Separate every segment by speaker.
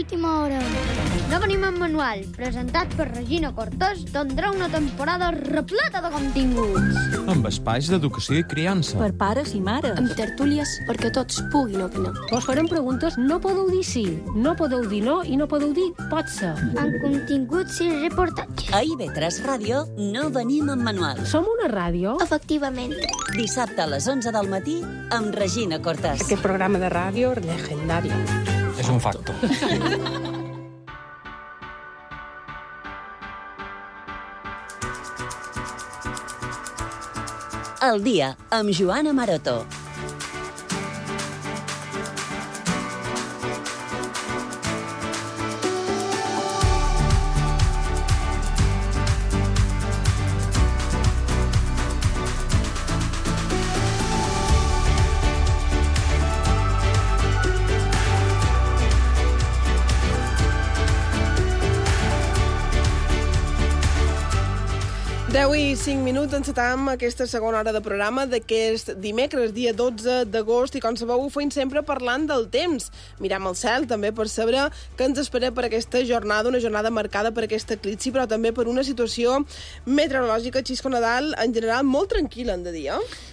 Speaker 1: d'última hora.
Speaker 2: No venim en manual, presentat per Regina Cortés, tindrà una temporada repleta de continguts.
Speaker 3: Amb espais d'educació i criança.
Speaker 4: Per pares i mares.
Speaker 1: Amb tertúlies perquè tots puguin opinar.
Speaker 4: Vos farem preguntes, no podeu dir sí, no podeu dir no i no podeu dir pot ser.
Speaker 2: Amb continguts i reportatges.
Speaker 5: A IB3 Ràdio no venim en manual.
Speaker 4: Som una ràdio?
Speaker 1: Efectivament.
Speaker 5: Dissabte a les 11 del matí amb Regina Cortés.
Speaker 6: Aquest programa de ràdio legendari.
Speaker 3: És un facto.
Speaker 5: El dia amb Joana Maroto.
Speaker 6: I 5 minuts encetam aquesta segona hora de programa d'aquest dimecres, dia 12 d'agost, i com sabeu ho feim sempre parlant del temps. Mirem al cel també per saber què ens espera per aquesta jornada, una jornada marcada per aquest eclipsi, però també per una situació meteorològica, Xisco Nadal, en general molt tranquil·la, hem de dir,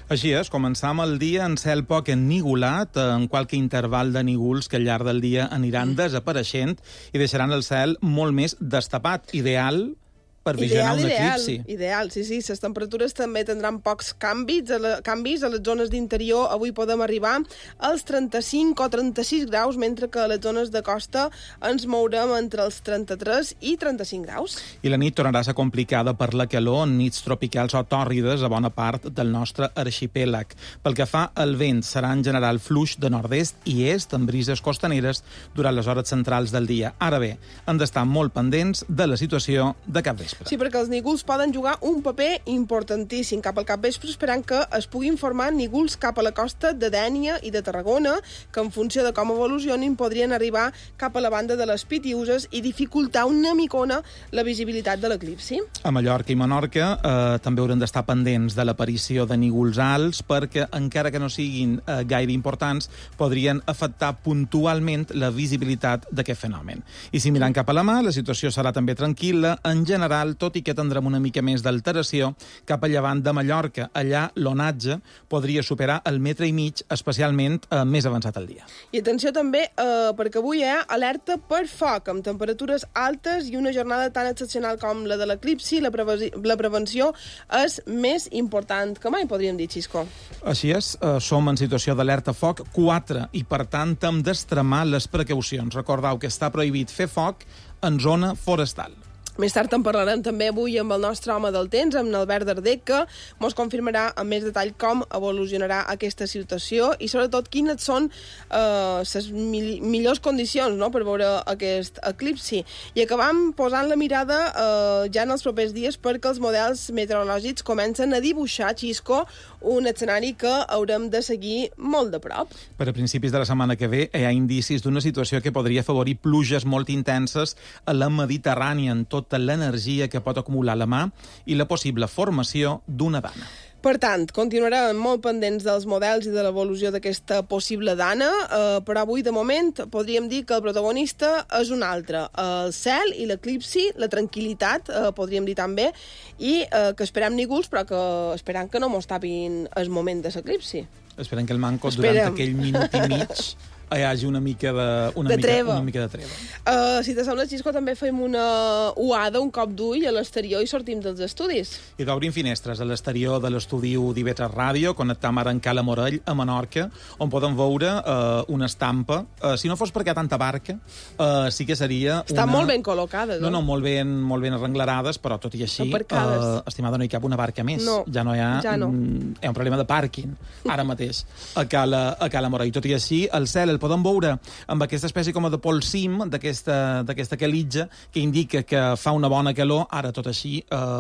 Speaker 7: Així és, començam el dia en cel poc ennigolat, en qualque interval de nígols que al llarg del dia aniran desapareixent i deixaran el cel molt més destapat, ideal per visionar un eclipsi.
Speaker 6: Ideal, sí. Les temperatures també tindran pocs canvis. A les zones d'interior avui podem arribar als 35 o 36 graus, mentre que a les zones de costa ens mourem entre els 33 i 35 graus.
Speaker 7: I la nit tornarà a ser complicada per la calor, en nits tropicals o tòrrides a bona part del nostre arxipèlag. Pel que fa al vent, serà en general fluix de nord-est i est, amb brises costaneres durant les hores centrals del dia. Ara bé, hem d'estar molt pendents de la situació de capvespre.
Speaker 6: Sí, perquè els nígols poden jugar un paper importantíssim cap al capvespre, esperant que es puguin formar nígols cap a la costa de Dénia i de Tarragona, que en funció de com evolucionin podrien arribar cap a la banda de les Pitiüses i dificultar una micona la visibilitat de l'eclipsi.
Speaker 7: A Mallorca i Menorca també hauran d'estar pendents de l'aparició de nígols alts perquè, encara que no siguin gaire importants, podrien afectar puntualment la visibilitat d'aquest fenomen. I si mirant cap a la mà, la situació serà també tranquil·la, en general, tot i que tindrem una mica més d'alteració cap a llevant de Mallorca. Allà l'onatge podria superar el 1,5 metres, especialment més avançat al dia.
Speaker 6: I atenció també, perquè avui hi ha alerta per foc, amb temperatures altes i una jornada tan excepcional com la de l'eclipsi. La prevenció és més important que mai, podríem dir, Xisco.
Speaker 7: Així és, som en situació d'alerta foc 4 i, per tant, hem d'extremar les precaucions. Recordeu que està prohibit fer foc en zona forestal.
Speaker 6: Més tard en parlarem també avui amb el nostre home del temps, amb l'Albert Darder, que ens confirmarà amb més detall com evolucionarà aquesta situació i sobretot quines són les millors condicions, no?, per veure aquest eclipsi. I acabam posant la mirada ja en els propers dies perquè els models meteorològics comencen a dibuixar, Xisco, un escenari que haurem de seguir molt de prop.
Speaker 7: Per a principis de la setmana que ve hi ha indicis d'una situació que podria afavorir pluges molt intenses a la Mediterrània, en tota l'energia que pot acumular la mà i la possible formació d'una dana.
Speaker 6: Per tant, continuarem molt pendents dels models i de l'evolució d'aquesta possible dana, però avui, de moment, podríem dir que el protagonista és un altre. El cel i l'eclipsi, la tranquil·litat, podríem dir també, i que esperem nígols, però que esperem que no mos tapin el moment de l'eclipsi.
Speaker 7: Esperem que el manco, durant aquell minut i mig, hi hagi una mica de treva.
Speaker 6: Si te sembla, Xisco, també fem una uada, un cop d'ull a l'exterior i sortim dels estudis.
Speaker 7: I d'obrim finestres a l'exterior de l'estudi d'IB3 Ràdio, connectam ara en Cala Morell, a Menorca, on podem veure una estampa. Si no fos perquè hi ha tanta barca, sí que seria
Speaker 6: Estan molt ben col·locades.
Speaker 7: No, molt ben arrenglerades, però tot i així, estimada, no hi cap una barca més.
Speaker 6: No,
Speaker 7: ja no hi ha...
Speaker 6: Ja no.
Speaker 7: Hi ha un problema de pàrquing, ara mateix, a Cala Morell. Tot i així, el cel el podem veure amb aquesta espècie com de polsim d'aquesta calitja que indica que fa una bona calor. Ara, tot així,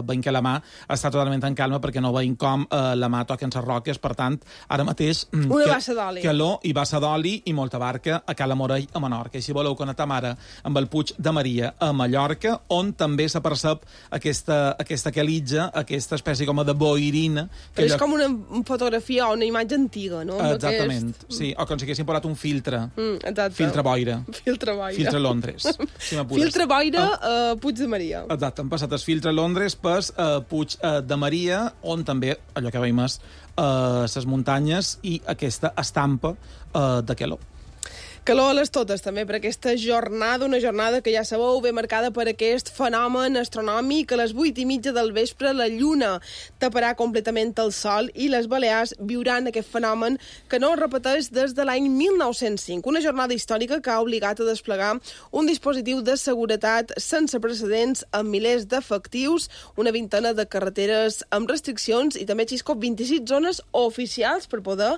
Speaker 7: veiem que la mà està totalment en calma perquè no veiem com la mà toca en les roques. Per tant, ara mateix...
Speaker 6: Una bassa d'oli.
Speaker 7: Calor i bassa d'oli i molta barca a Cala Morell, a Menorca. I si voleu connectar ara amb el Puig de Maria, a Mallorca, on també s'apercep aquesta calitja, aquesta espècie com de boirina.
Speaker 6: Però és com una fotografia o una imatge antiga, no?
Speaker 7: Exactament, sí. O com si haguessin posat un filtre filtre.
Speaker 6: Exacte.
Speaker 7: Filtre boira.
Speaker 6: Filtre boira.
Speaker 7: Filtre Londres. Si m'apures.
Speaker 6: Filtre boira a Puig de Maria.
Speaker 7: Exacte, han passat el filtre Londres per Puig de Maria, on també, allò que veiem és les muntanyes i aquesta estampa de calor.
Speaker 6: Calor a les totes, també, per aquesta jornada, una jornada que ja sabeu, ve marcada per aquest fenomen astronòmic. A les 8:30 del vespre la Lluna taparà completament el Sol i les Balears viuran aquest fenomen que no es repeteix des de l'any 1905. Una jornada històrica que ha obligat a desplegar un dispositiu de seguretat sense precedents amb milers d'efectius, una vintena de carreteres amb restriccions i també, Xisco, 26 zones oficials per poder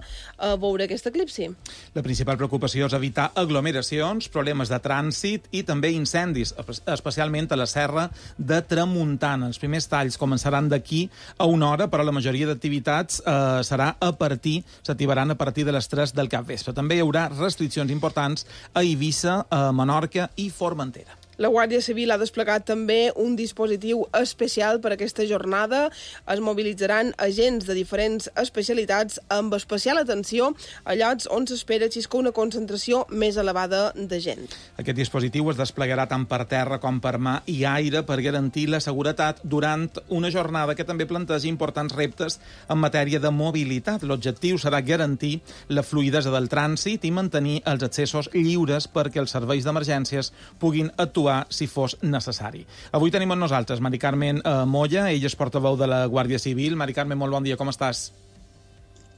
Speaker 6: veure aquest eclipsi.
Speaker 7: La principal preocupació és evitar aglomeracions, problemes de trànsit i també incendis, especialment a la Serra de Tramuntana. Els primers talls començaran d'aquí a una hora, però la majoria d'activitats s'activaran a partir de les 3 del capvespre. També hi haurà restriccions importants a Eivissa, a Menorca i Formentera.
Speaker 6: La Guàrdia Civil ha desplegat també un dispositiu especial per a aquesta jornada. Es mobilitzaran agents de diferents especialitats amb especial atenció a llocs on s'espera, Xisco, una concentració més elevada de gent.
Speaker 7: Aquest dispositiu es desplegarà tant per terra com per mar i aire per garantir la seguretat durant una jornada que també planteja importants reptes en matèria de mobilitat. L'objectiu serà garantir la fluïdesa del trànsit i mantenir els accessos lliures perquè els serveis d'emergències puguin actuar si fos necessari. Avui tenim amb nosaltres Mari Carmen Moya, ella és portaveu de la Guàrdia Civil. Mari Carmen, molt bon dia, com estàs?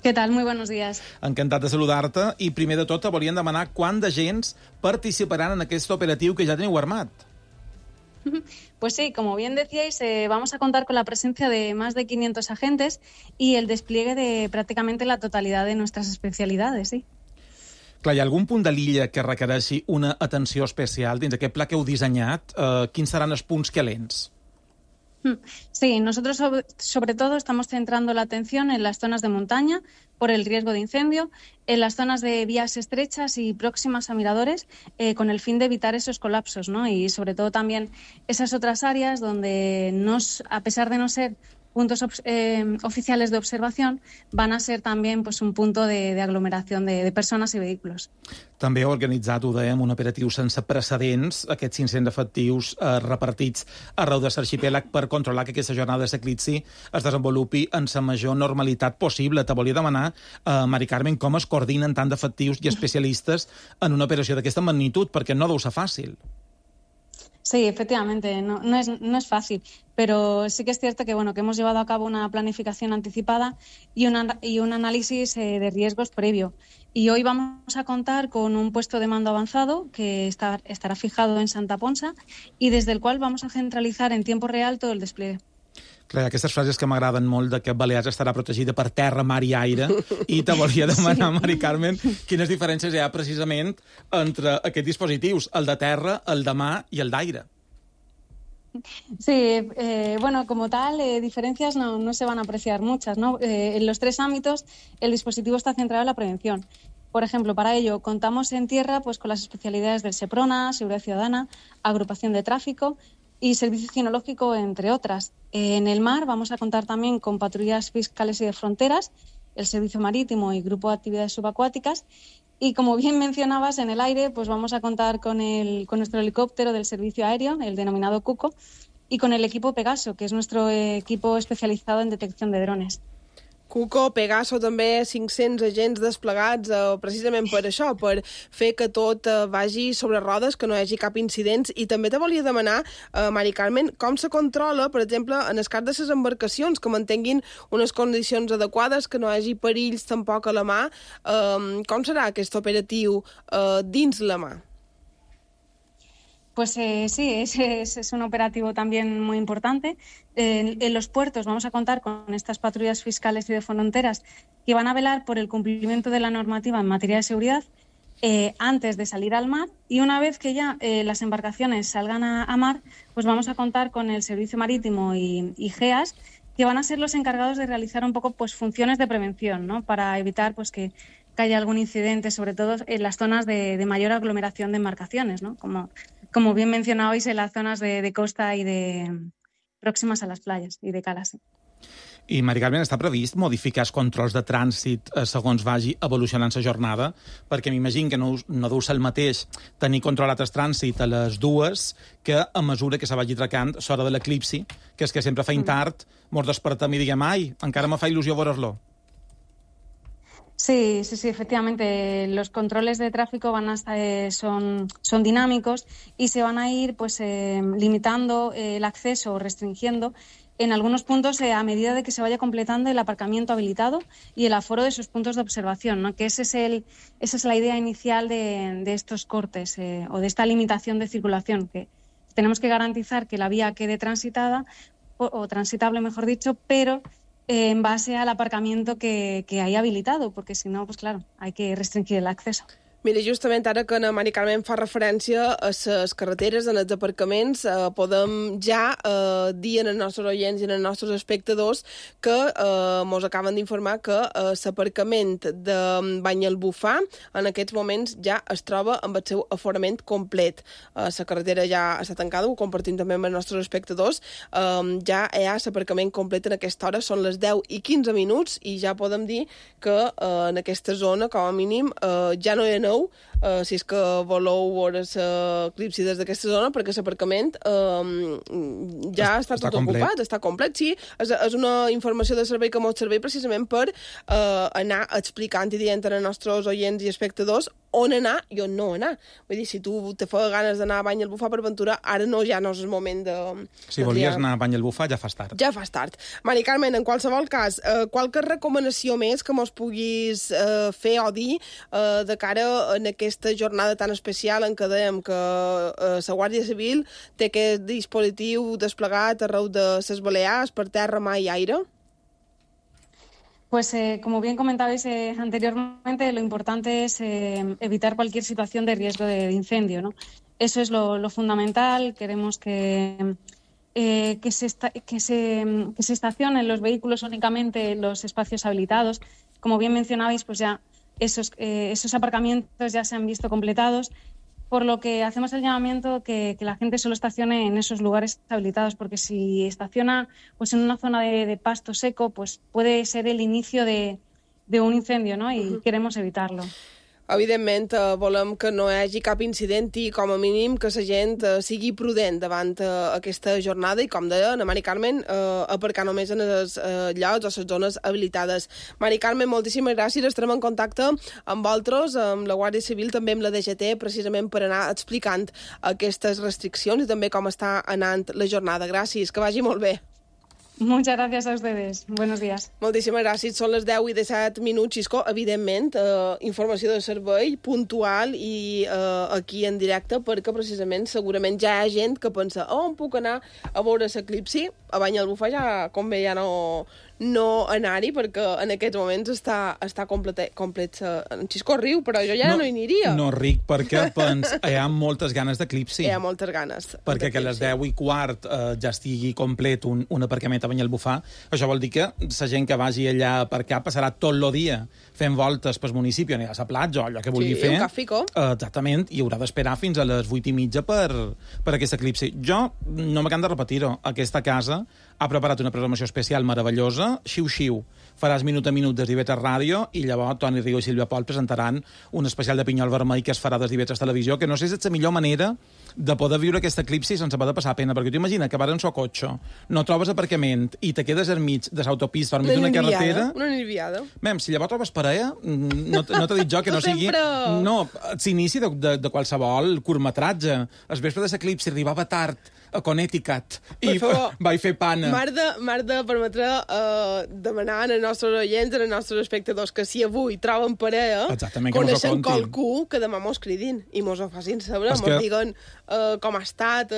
Speaker 8: ¿Qué tal? Muy buenos días.
Speaker 7: Encantat de saludar-te i primer de tot volíem demanar quant d'agents participaran en aquest operatiu que ja teniu armat.
Speaker 8: Pues sí, como bien decíais, vamos a contar con la presencia de más de 500 agentes y el despliegue de prácticamente la totalidad de nuestras especialidades, sí.
Speaker 7: Clar, hi ha algun punt de l'illa que requereixi una atenció especial dins aquest pla que heu dissenyat? Quins seran els punts calents?
Speaker 8: Sí, nosotros sobre todo estamos centrando la atención en las zonas de montaña por el riesgo de incendio, en las zonas de vías estrechas y próximas a miradores con el fin de evitar esos colapsos, ¿no? Y sobre todo también esas otras áreas donde a pesar de no ser puntos oficiales de observación, van a ser també pues, un punt de aglomeració de persones i vehicles.
Speaker 7: També heu organitzat, ho dèiem, un operatiu sense precedents, aquests 500 efectius repartits arreu de l'arxipèlag per controlar que aquesta jornada de l'eclipsi es desenvolupi en la major normalitat possible. Te volia demanar, Mari Carmen, com es coordinen tant d'efectius i especialistes en una operació d'aquesta magnitud, perquè no deu ser fàcil.
Speaker 8: Sí, efectivamente, no es fácil, pero sí que es cierto que que hemos llevado a cabo una planificación anticipada y un análisis de riesgos previo. Y hoy vamos a contar con un puesto de mando avanzado que estará fijado en Santa Ponsa y desde el cual vamos a centralizar en tiempo real todo el despliegue.
Speaker 7: Clar, aquestes frases que m'agraden molt de que Balears estarà protegida per terra, mar i aire, i te volia demanar, Mari Carmen, quines diferències hi ha precisament entre aquests dispositius, el de terra, el de mar i el d'aire.
Speaker 8: Sí, como tal, diferencias no se van a apreciar muchas, ¿no? En los 3 ámbitos, el dispositivo está centrado en la prevención. Por ejemplo, para ello contamos en tierra pues con las especialidades del SEPRONA, Seguridad Ciudadana, Agrupación de Tráfico y Servicio Cinológico, entre otras. En el mar vamos a contar también con patrullas fiscales y de fronteras, el Servicio Marítimo y Grupo de Actividades Subacuáticas. Y como bien mencionabas, en el aire pues vamos a contar con nuestro helicóptero del Servicio Aéreo, el denominado Cuco, y con el equipo Pegaso, que es nuestro equipo especializado en detección de drones.
Speaker 6: Cuco, Pegaso, també 500 agents desplegats precisament per això, per fer que tot vagi sobre rodes, que no hi hagi cap incident. I també te volia demanar, Mari Carmen, com se controla, per exemple, en el cas de les embarcacions, que mantinguin unes condicions adequades, que no hi hagi perills tampoc a la mà. Com serà aquest operatiu dins la mà?
Speaker 8: Pues sí, es un operativo también muy importante. En los puertos vamos a contar con estas patrullas fiscales y de fronteras que van a velar por el cumplimiento de la normativa en materia de seguridad antes de salir al mar, y una vez que ya las embarcaciones salgan a mar, pues vamos a contar con el Servicio Marítimo y GEAS, que van a ser los encargados de realizar un poco pues funciones de prevención, ¿no? Para evitar pues que haya algún incidente, sobre todo en las zonas de mayor aglomeración de embarcaciones, ¿no? Como bien mencionabais, en las zonas de costa y de próximas a las playas y de calas.
Speaker 7: I, Mari Carmen, està previst modificar els controls de trànsit segons vagi evolucionant la jornada? Perquè m'imagino que no deu ser el mateix tenir controlat el trànsit a les 2 que a mesura que se vagi tracant l'hora de l'eclipsi, que és que sempre feim tard, mos despertem i diguem, ai, encara me fa il·lusió veure-lo.
Speaker 8: Sí, efectivamente. Los controles de tráfico son dinámicos y se van a ir limitando el acceso o restringiendo en algunos puntos a medida de que se vaya completando el aparcamiento habilitado y el aforo de sus puntos de observación, ¿no? Que esa es la idea inicial de estos cortes o de esta limitación de circulación, que tenemos que garantizar que la vía quede transitada o transitable, mejor dicho, pero en base al aparcamiento que hay habilitado, porque si no, pues claro, hay que restringir el acceso.
Speaker 6: Mira, justament ara que la Mari Carmen fa referència a les carreteres, en els aparcaments, podem ja dir als nostres oients i als nostres espectadors que mos acaben d'informar que l'aparcament de Banyalbufar en aquests moments ja es troba amb el seu aforament complet. La carretera ja està tancada, ho compartim també amb els nostres espectadors. Ja hi ha l'aparcament complet en aquesta hora, són les 10:15 i ja podem dir que en aquesta zona, com a mínim, ja no hi ha si és que voleu veure l'eclipsi des d'aquesta zona, perquè l'aparcament ja està tot ocupat, està complet. Sí, és una informació de servei que ens serveix precisament per anar explicant i dient als nostres oients i espectadors on anar i on no anar. Vull dir, si tu te fa ganes d'anar a Banyalbufar per aventura, ara ja no és el moment de...
Speaker 7: Si volies anar a Banyalbufar, ja fas tard.
Speaker 6: Ja fas tard. Mari Carmen, en qualsevol cas, qualque recomanació més que mos puguis fer o dir de cara en aquesta jornada tan especial en què dèiem que la Guàrdia Civil té aquest dispositiu desplegat arreu de les Balears per terra, mar i aire?
Speaker 8: Pues como bien comentabais anteriormente, lo importante es evitar cualquier situación de riesgo de incendio, ¿no? Eso es lo fundamental. Queremos que se estacionen los vehículos únicamente en los espacios habilitados. Como bien mencionabais, pues ya esos aparcamientos ya se han visto completados, por lo que hacemos el llamamiento que la gente solo estacione en esos lugares habilitados, porque si estaciona pues en una zona de pasto seco, pues puede ser el inicio de un incendio, ¿no? Y queremos evitarlo.
Speaker 6: Evidentment, volem que no hi hagi cap incident i, com a mínim, que la gent sigui prudent davant aquesta jornada i, com deia la Mari Carmen, aparcar només en els llocs o les zones habilitades. Mari Carmen, moltíssimes gràcies. Estarem en contacte amb vosaltres, amb la Guàrdia Civil, també amb la DGT, precisament per anar explicant aquestes restriccions i també com està anant la jornada. Gràcies, que vagi molt bé.
Speaker 8: Muchas gracias a ustedes. Buenos días.
Speaker 6: Moltíssimes gràcies. Són les 10:17, Xisco. Evidentment, informació de servei puntual i aquí en directe, perquè precisament segurament ja hi ha gent que pensa on puc anar a veure l'eclipsi? A Banyalbufar ja convé ja no anar-hi, perquè en aquests moments està complet. En Xisco riu, però jo ja no hi aniria.
Speaker 7: No ric, perquè hi ha moltes ganes d'eclipsi.
Speaker 6: Hi ha moltes ganes.
Speaker 7: Perquè que a les 10:15 ja estigui complet un aparcament a Banyalbufar, això vol dir que la gent que vagi allà a aparcar passarà tot el dia fent voltes pel municipi, anirà a la platja o allò que vulgui fer.
Speaker 6: Sí, un càfico.
Speaker 7: Exactament, i haurà d'esperar fins a les 8:30 per aquest eclipsi. Jo no m'acabo de repetir-ho. Aquesta casa ha preparat una programació especial meravellosa, xiu-xiu. Faràs minut a minut des d'IV3 Ràdio i llavors Toni Riu i Sílvia Pol presentaran un especial de Pinyol Vermell que es farà des d'IV3 Televisió, que no sé si és la millor manera de poder viure aquest eclipsi sense poder passar pena, perquè tu imagina que vas en el cotxe, no trobes aparcament i te quedes enmig de l'autopista enmig d'una carretera...
Speaker 6: Una nirviada.
Speaker 7: Mem, si llavors trobes parella, no t'he dit jo que no sigui... No, s'inici de qualsevol curtmetratge. El vespre de l'eclipsi arribava tard a Connecticut i vaig fer pana.
Speaker 6: M'has de permetre demanar als nostres oients, als nostres espectadors, que si avui troben parella, coneixen qualcú que demà mos cridin i mos ho facin saber, mos diguen com ha estat,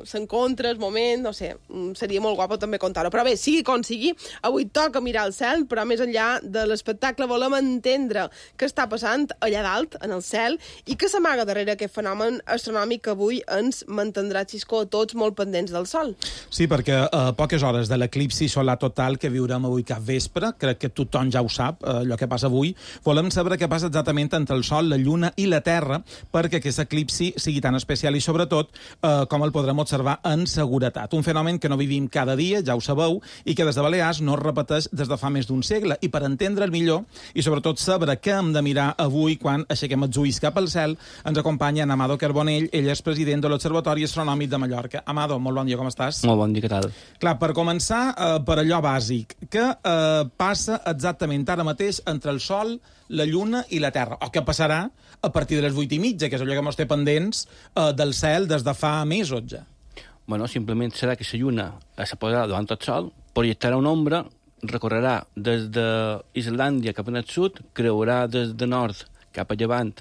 Speaker 6: s'encontra, el moment, no sé, seria molt guapo també contar-ho. Però bé, sigui com sigui, avui toca mirar el cel, però més enllà de l'espectacle volem entendre què està passant allà dalt, en el cel, i què s'amaga darrere aquest fenomen astronòmic que avui ens mantindrà, Xisco, tots molt pendents del sol.
Speaker 7: Sí, perquè a poques hores de l'eclipsi solar total que viurem avui cap vespre, crec que tothom ja ho sap, allò que passa avui, volem saber què passa exactament entre el Sol, la Lluna i la Terra perquè aquest eclipsi sigui tan especial i, sobretot, com el podrem observar en seguretat. Un fenomen que no vivim cada dia, ja ho sabeu, i que des de Balears no es repeteix des de fa més d'un segle. I per entendre'l millor, i sobretot saber què hem de mirar avui quan aixequem els ulls cap al cel, ens acompanya en Amado Carbonell, ell és president de l'Observatori Astronòmic de Mallorca. Amado, molt bon dia, com estàs?
Speaker 9: Molt bon dia, què tal?
Speaker 7: Clar, per començar, per allò bàsic, què passa exactament ara mateix entre el Sol, la Lluna i la Terra? O què passarà a partir de les 8:30, que és allò que ens té pendents del cel des de fa mesos ja?
Speaker 9: Bueno, simplement serà que la Lluna se posarà davant del Sol, projectarà una ombra, recorrerà des d'Islàndia cap al sud, creurà des de nord cap a llevant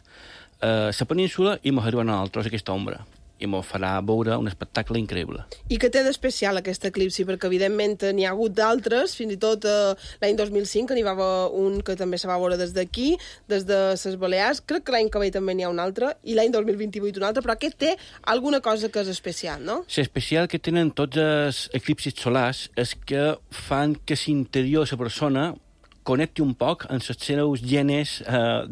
Speaker 9: la península i ens arribarà a nosaltres aquesta ombra. I ens farà veure un espectacle increïble.
Speaker 6: I què té d'especial aquest eclipsi? Perquè, evidentment, n'hi ha hagut d'altres, fins i tot l'any 2005, que n'hi va haver un que també se va veure des d'aquí, des de les Balears. Crec que l'any que ve també n'hi ha un altre, i l'any 2028 un altre, però aquest té alguna cosa que és especial, no?
Speaker 9: L'especial que tenen tots els eclipsis solars és que fan que l'interior de la persona connecti un poc amb els seus genes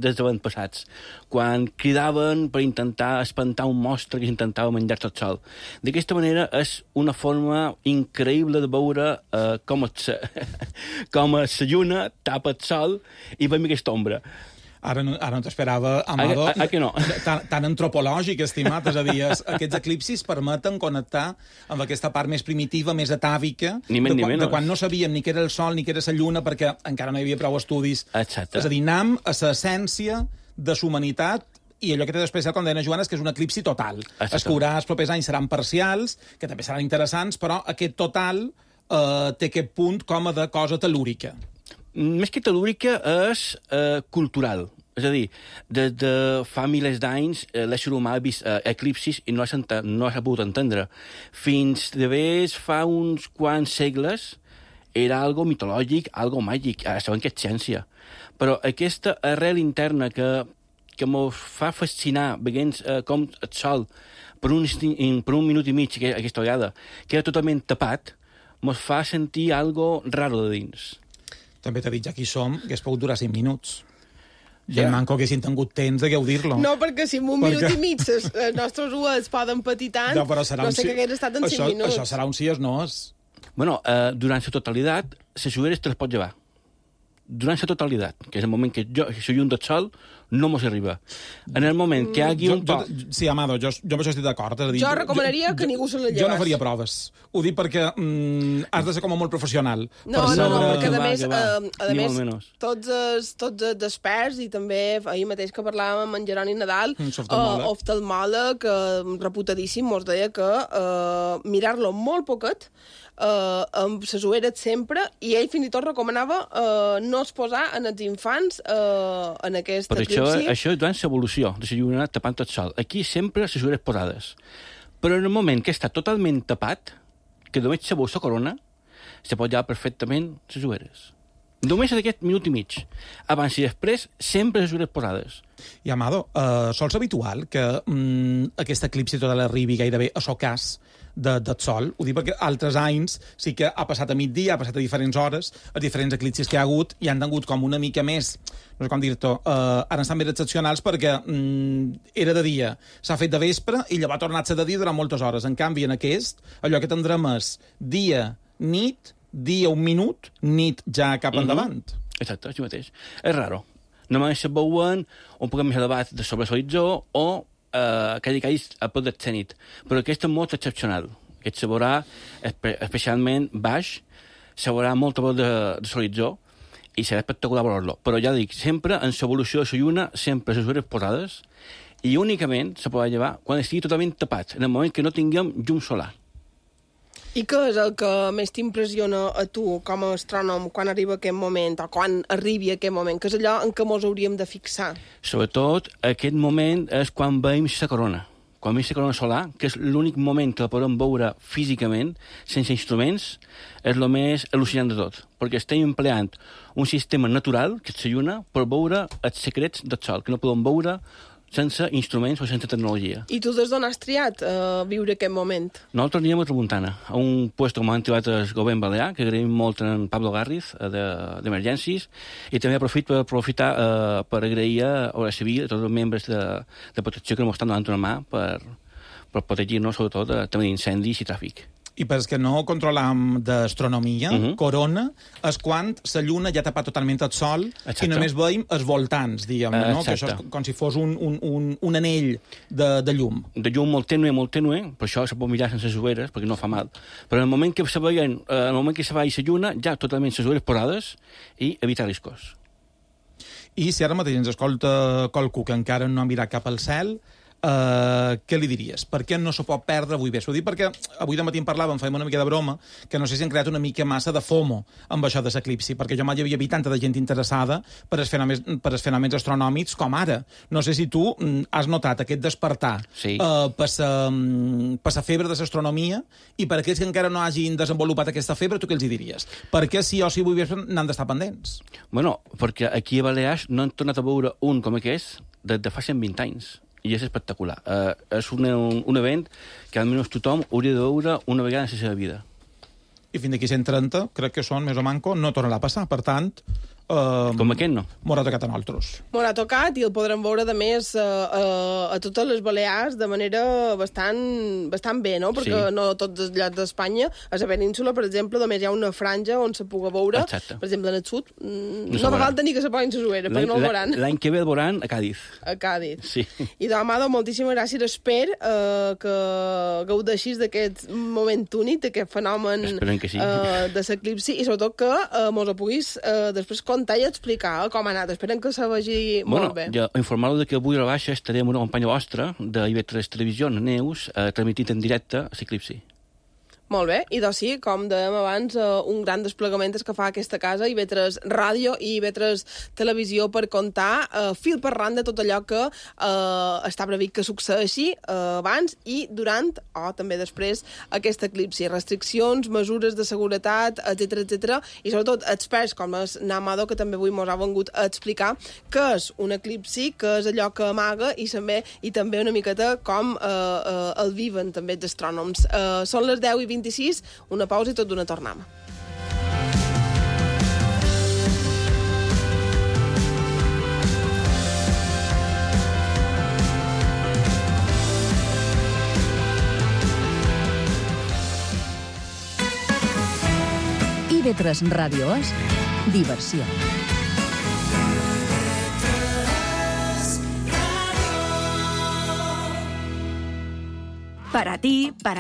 Speaker 9: des d'abans passats, quan cridaven per intentar espantar un monstre que intentava menjar-se el sol. D'aquesta manera és una forma increïble de veure com la lluna tapa el sol i veiem aquesta ombra.
Speaker 7: Ara no t'esperava, Amado,
Speaker 9: que no?
Speaker 7: tan antropològic, estimat. És a dir, aquests eclipsis permeten connectar amb aquesta part més primitiva, més atàvica, de quan no sabíem ni què era el Sol ni què era la Lluna, perquè encara no hi havia prou estudis.
Speaker 9: Exacte.
Speaker 7: És a dir, anam a l'essència de la humanitat, i allò que té d'especial, com deia Joana, és que és un eclipsi total. Es que els propers anys seran parcials, que també seran interessants, però aquest total té aquest punt com a de cosa telúrica.
Speaker 9: Més que telúrica és cultural. És a dir, des de fa milers d'anys l'ésser humà ha vist eclipsis i no s'ha pogut entendre. Fins de vés fa uns quants segles era algo mitològic, algo màgic. Ara sabem que és ciència. Però aquesta arrel interna que ens fa fascinar veient com el sol per un minut i mig aquesta vegada queda totalment tapat, ens fa sentir algo raro de dins.
Speaker 7: També t'he dit, ja aquí som, que es pot durar 5 minuts. Ja manco que haguessin tingut temps de gaudir-lo.
Speaker 6: No, perquè si en un minut i mig els nostres ulls poden patir tant, no sé què hagués estat en 5 minuts.
Speaker 7: Això serà un sí o no és.
Speaker 9: Bueno, durant la totalitat, les ulleres te les pots llevar. Durant la totalitat, que és el moment que la llum del sol no mos arriba. En el moment que hi hagi un poc...
Speaker 7: Sí, Amado, jo amb això estic d'acord.
Speaker 6: Jo recomanaria que ningú se la llevés.
Speaker 7: Jo no faria proves. Ho dic perquè has de ser com molt professional.
Speaker 6: No, perquè a més tots els experts, i també ahir mateix que parlàvem amb en Jeroni Nadal, oftalmòleg, reputadíssim, mos deia que mirar-lo molt poquet, amb les ulleres sempre, i ell fins i tot recomanava no exposar en els infants en aquest eclipsi.
Speaker 9: Això és durant l'evolució de la lluna tapant el sol. Aquí sempre les ulleres posades. Però en el moment que està totalment tapat, que només se veu la corona, se pot llevar perfectament les ulleres. Només d'aquest minut i mig. Abans i després, sempre les ulleres posades.
Speaker 7: I, Amado, sols habitual que aquest eclipsi total arribi gairebé a socàs del sol? Ho dic perquè altres anys sí que ha passat a migdia, ha passat a diferents hores, a diferents eclipsis que hi ha hagut, i han tingut com una mica més, no sé com dir-t'ho, ara estan més excepcionals perquè era de dia, s'ha fet de vespre i llavors ha tornat a ser de dia durant moltes hores. En canvi, en aquest, allò que tindrem és dia, nit, dia un minut, nit ja cap endavant.
Speaker 9: Exacte, així mateix. És raro. Només se veuen un poc més elevat de sobre l'horitzó o que a prop del zenit. Però aquest és molt excepcional. Aquest se veurà especialment baix, se veurà molt a prop de l'horitzó i serà espectacular veure-lo. Però ja dic, sempre en l'evolució de la lluna, sempre les ulleres posades, i únicament se podrà llevar quan estigui totalment tapat, en el moment que no tinguem llum solar.
Speaker 6: I què és el que més t'impressiona a tu com a astrònom quan arriba aquest moment, o quan arribi aquest moment? Què és allò en què ens hauríem de fixar?
Speaker 9: Sobretot, aquest moment és quan veiem la corona. Quan veiem la corona solar, que és l'únic moment que la podem veure físicament, sense instruments, és el més al·lucinant de tot. Perquè estem empleant un sistema natural, que és la lluna, per veure els secrets del sol, que no podem veure sense instruments o sense tecnologia.
Speaker 6: I tu des d'on has triat viure aquest moment?
Speaker 9: Nosaltres anirem a Tramuntana, a un puesto com han trobat el govern balear, que agraïm molt en Pablo Garriz, d'Emergències, i també aprofitar per agrair a la Civil, a tots els membres de protecció que ens estan donant una mà per protegir-nos, sobretot, també d'incendis i tràfic.
Speaker 7: I per que no controlam d'astronomia, corona és quan la lluna ja tapa totalment el sol i només veiem els voltants, diguem-ne, no? Que això és com si fos un anell de llum.
Speaker 9: De llum molt tènue, per això se pot mirar sense ulleres, perquè no fa mal. Però en el moment que se veien, en el moment que se va la lluna, ja totalment les ulleres posades i evitar riscos.
Speaker 7: I si ara mateix ens escolta qualcú que encara no ha mirat cap al cel, què li diries? Per què no se pot perdre avui bé? S'ho dic perquè avui de matí en parlàvem, fèiem una mica de broma, que no sé si han creat una mica massa de FOMO amb això de l'eclipsi, perquè jo mai havia vist tanta de gent interessada per els fenòmens astronòmics com ara. No sé si tu has notat aquest despertar per la febre de l'astronomia, i per aquells que encara no hagin desenvolupat aquesta febre, tu què els diries? Per què sí o sí avui bé n'han d'estar pendents?
Speaker 9: Bueno, perquè aquí a Balears no han tornat a veure un com aquest des de fa 120 anys. I és espectacular. És un event que almenys tothom hauria de veure una vegada en la seva vida.
Speaker 7: I fins d'aquí 130, crec que són més o manco, no tornarà a passar. Per tant,
Speaker 9: com aquest no.
Speaker 7: M'haurà tocat a nosaltres.
Speaker 6: M'haurà tocat i el podrem veure, de més, a totes les Balears de manera bastant bé, no? Perquè no tots els llocs d'Espanya, a la península, per exemple, només hi ha una franja on se pugui veure.
Speaker 9: Exacte.
Speaker 6: Per exemple, en el sud, no fa falta ni que se posin les ulleres, perquè no el veuran.
Speaker 9: L'any que ve el veuran a Càdiz.
Speaker 6: A Càdiz.
Speaker 9: Sí.
Speaker 6: I demà, moltíssimes gràcies. Espero que gaudeixis d'aquest moment únic, d'aquest fenomen de l'eclipsi, i sobretot que mos ho puguis després contar i explicar com ha anat. Esperem que se vegi molt bé.
Speaker 9: Jo informar-lo que avui a la baixa estaré amb una companya vostra de IB3 Televisió, Neus, transmitint en directe l'eclipsi.
Speaker 6: Molt bé, i doncs sí, com dèiem abans, un gran desplegament és que fa aquesta casa, IB3 Ràdio i IB3 Televisió, per contar fil per randa tot allò que està previst que succeeixi abans i durant, o també després, aquest eclipsi. Restriccions, mesures de seguretat, etc. I sobretot experts com és Namado, que també avui ens ha vengut a explicar què és un eclipsi, què és allò que amaga i també una miqueta com el viven també els astrònoms. Són les 10:26, una pausa i tot d'una tornada.
Speaker 10: IB3 Ràdio és diversió.
Speaker 11: Para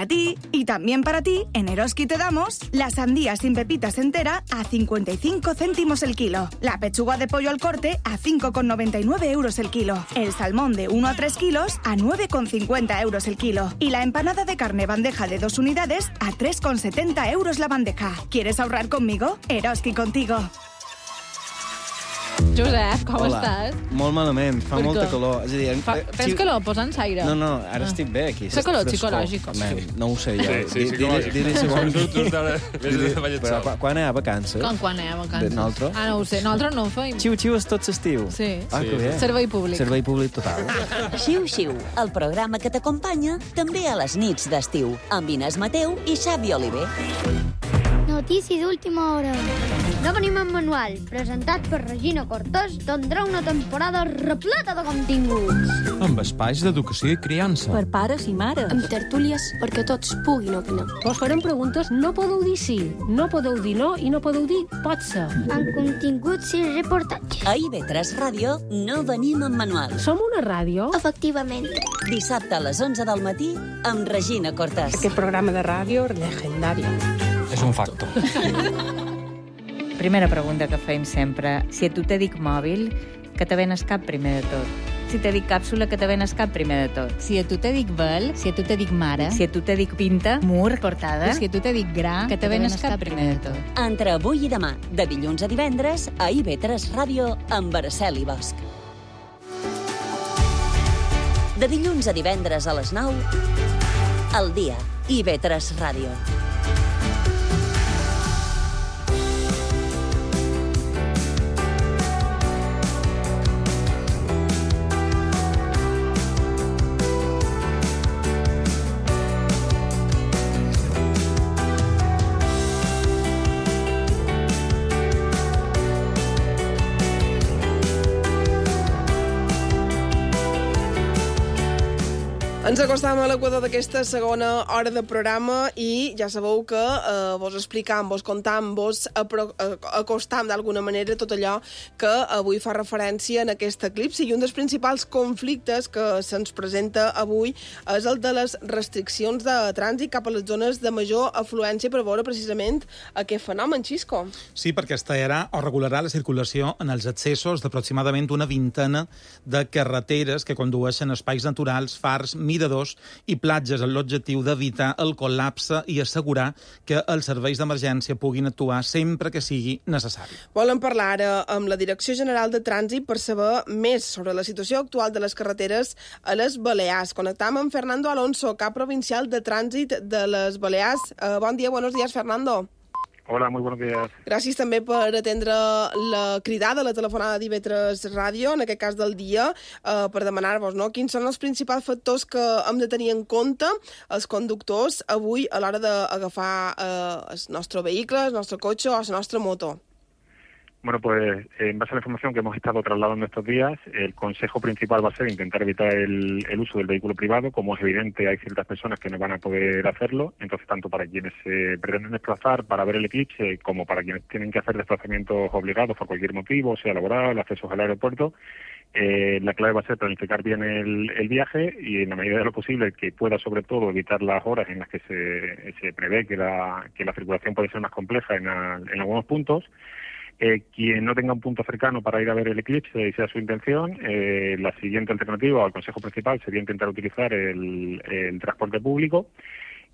Speaker 11: ti y también para ti, en Eroski te damos la sandía sin pepitas entera a 55 céntimos el kilo, la pechuga de pollo al corte a 5,99 euros el kilo, el salmón de 1 a 3 kilos a 9,50 euros el kilo y la empanada de carne bandeja de 2 unidades a 3,70 euros la bandeja. ¿Quieres ahorrar conmigo? Eroski contigo.
Speaker 12: Josep, com estàs?
Speaker 13: Molt malament, fa molta calor. És a dir,
Speaker 12: tens calor? Posa'ns aire.
Speaker 13: No, ara estic bé aquí.
Speaker 12: És calor psicològic.
Speaker 13: No ho sé jo.
Speaker 3: Sí, psicològic.
Speaker 13: Però quan hi ha vacances?
Speaker 12: Quan hi ha vacances?
Speaker 13: Nosaltres?
Speaker 12: No ho sé, nosaltres no ho feim.
Speaker 13: Xiu-xiu és tot l'estiu.
Speaker 12: Sí.
Speaker 13: Que bé.
Speaker 12: Servei públic.
Speaker 13: Servei públic total.
Speaker 5: Xiu-xiu, el programa que t'acompanya també a les nits d'estiu, amb Inés Mateu i Xavi Oliver.
Speaker 2: Notícia d'última hora. No venim en manual, presentat per Regina Cortós, tindrà una temporada repleta de continguts.
Speaker 3: Amb espais d'educació i criança.
Speaker 10: Per pares i mares.
Speaker 1: Amb tertúlies perquè tots puguin opinar.
Speaker 4: Vos farem preguntes, no podeu dir sí, no podeu dir no i no podeu dir pot ser.
Speaker 2: Amb continguts i reportatges.
Speaker 5: A IB3 Ràdio no venim en manual.
Speaker 4: Som una ràdio?
Speaker 1: Efectivament.
Speaker 5: Dissabte a les 11 del matí amb Regina Cortós.
Speaker 14: Aquest programa de ràdio legendari.
Speaker 3: És un facto.
Speaker 15: Primera pregunta que fem sempre. Si a tu te dic mòbil, que te ven el cap primer de tot. Si te dic càpsula, que te ven el cap primer de tot.
Speaker 16: Si a tu te dic vel, si a tu te dic mare.
Speaker 15: Si a tu te dic pinta, mur, portada.
Speaker 16: Si a tu te dic gra, que te ven el cap primer de tot.
Speaker 5: Entre avui i demà, de dilluns a divendres, a IB3 Ràdio amb Araceli Bosch. De dilluns a divendres a les 9, al dia, IB3 Ràdio.
Speaker 6: Ens acostam a l'equador d'aquesta segona hora de programa i ja sabeu que vos explicam, vos contam, vos acostam d'alguna manera tot allò que avui fa referència en aquest eclipsi. I un dels principals conflictes que se'ns presenta avui és el de les restriccions de trànsit cap a les zones de major afluència per veure precisament aquest fenomen, Xisco.
Speaker 7: Sí, perquè es tallarà o regularà la circulació en els accessos d'aproximadament una vintena de carreteres que condueixen a espais naturals, fars, miradors i platges amb l'objectiu d'evitar el col·lapse i assegurar que els serveis d'emergència puguin actuar sempre que sigui necessari.
Speaker 6: Volem parlar ara amb la Direcció General de Trànsit per saber més sobre la situació actual de les carreteres a les Balears. Connectam amb Fernando Alonso, cap provincial de Trànsit de les Balears. Bon dia, buenos días, Fernando.
Speaker 17: Hola, muy buenos días.
Speaker 6: Gràcies també per atendre la cridada, la telefonada d'IV3 Ràdio, en aquest cas del dia, per demanar-vos quins són els principals factors que hem de tenir en compte els conductors avui a l'hora d'agafar el nostre vehicle, el nostre cotxe o la nostra moto.
Speaker 17: Bueno, pues en base a la información que hemos estado trasladando estos días, el consejo principal va a ser intentar evitar el uso del vehículo privado. Como es evidente, hay ciertas personas que no van a poder hacerlo, entonces tanto para quienes se pretenden desplazar para ver el eclipse como para quienes tienen que hacer desplazamientos obligados por cualquier motivo, sea laboral, accesos al aeropuerto, la clave va a ser planificar bien el viaje y en la medida de lo posible que pueda sobre todo evitar las horas en las que se prevé que la circulación puede ser más compleja en algunos puntos. Quien no tenga un punto cercano para ir a ver el eclipse y sea su intención, la siguiente alternativa al consejo principal sería intentar utilizar el transporte público.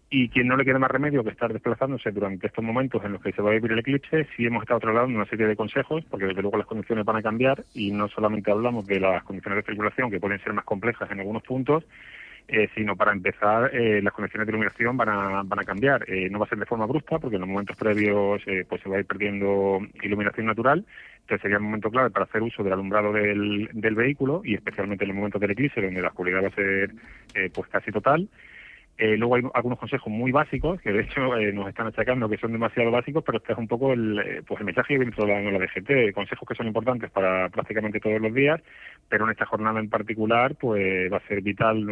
Speaker 17: Y quien no le quede más remedio que estar desplazándose durante estos momentos en los que se va a vivir el eclipse, sí hemos estado trasladando una serie de consejos, porque desde luego las condiciones van a cambiar y no solamente hablamos de las condiciones de circulación, que pueden ser más complejas en algunos puntos, sino para empezar las condiciones de iluminación van a cambiar. No va a ser de forma brusca, porque en los momentos previos pues se va a ir perdiendo iluminación natural. Entonces sería un momento clave para hacer uso del alumbrado del vehículo y especialmente en los momentos del eclipse, donde la oscuridad va a ser pues casi total. Luego hay algunos consejos muy básicos, que de hecho nos están achacando que son demasiado básicos, pero este es un poco el mensaje que viene trasladando la DGT, consejos que son importantes para prácticamente todos los días, pero en esta jornada en particular pues va a ser vital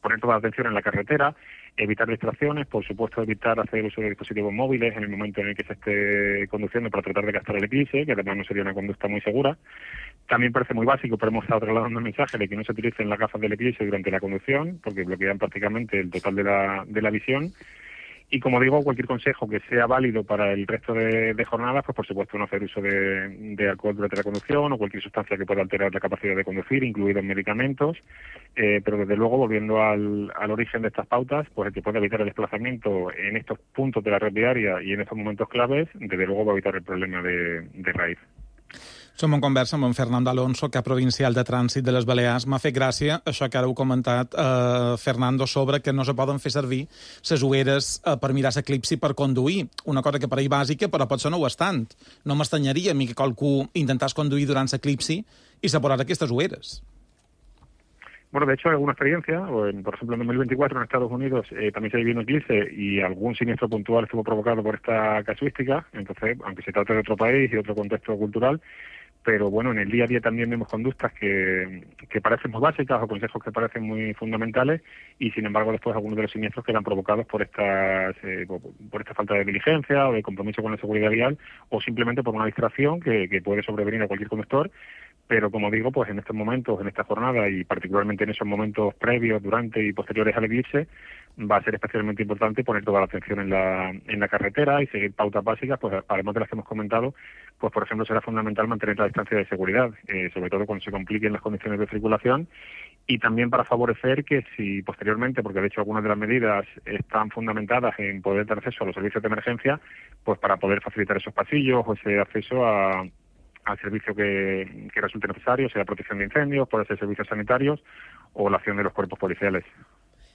Speaker 17: poner toda la atención en la carretera, evitar distracciones, por supuesto evitar hacer uso de dispositivos móviles en el momento en el que se esté conduciendo para tratar de captar el eclipse, que además no sería una conducta muy segura. También parece muy básico, pero hemos estado trasladando el mensaje de que no se utilicen las gafas del eclipse durante la conducción, porque bloquean prácticamente el total de la visión. Y como digo, cualquier consejo que sea válido para el resto de jornadas, pues por supuesto no hacer uso de alcohol durante la conducción o cualquier sustancia que pueda alterar la capacidad de conducir, incluidos medicamentos. Pero desde luego, volviendo al origen de estas pautas, pues el que pueda evitar el desplazamiento en estos puntos de la red viària y en estos momentos claves, desde luego va a evitar el problema de raíz.
Speaker 7: Som en conversa amb en Fernando Alonso, cap provincial de Trànsit de les Balears. M'ha fet gràcia això que ara heu comentat, Fernando, sobre que no se poden fer servir les ulleres per mirar l'eclipsi per conduir. Una cosa que pareix bàsica, però potser no ho és tant. No m'estranyaria a mi que qualcú intentàs conduir durant l'eclipsi i se posarà aquestes ulleres.
Speaker 17: Bueno, de hecho, hay alguna experiencia, por ejemplo, en 2024 en Estados Unidos también se vivió un eclipse y algún siniestro puntual estuvo provocado por esta casuística. Entonces, aunque se trate de otro país y otro contexto cultural, pero bueno, en el día a día también vemos conductas que parecen muy básicas o consejos que parecen muy fundamentales y sin embargo después algunos de los siniestros quedan provocados por esta falta de diligencia o de compromiso con la seguridad vial o simplemente por una distracción que puede sobrevenir a cualquier conductor. Pero como digo, pues en estos momentos, en esta jornada y particularmente en esos momentos previos, durante y posteriores al eclipse, va a ser especialmente importante poner toda la atención en la carretera y seguir pautas básicas, pues además de las que hemos comentado, pues por ejemplo será fundamental mantener la distancia de seguridad, sobre todo cuando se compliquen las condiciones de circulación y también para favorecer que si posteriormente, porque de hecho algunas de las medidas están fundamentadas en poder dar acceso a los servicios de emergencia, pues para poder facilitar esos pasillos o ese acceso al servicio que resulte necesario, sea protección de incendios, puede ser servicios sanitarios o la acción de los cuerpos policiales.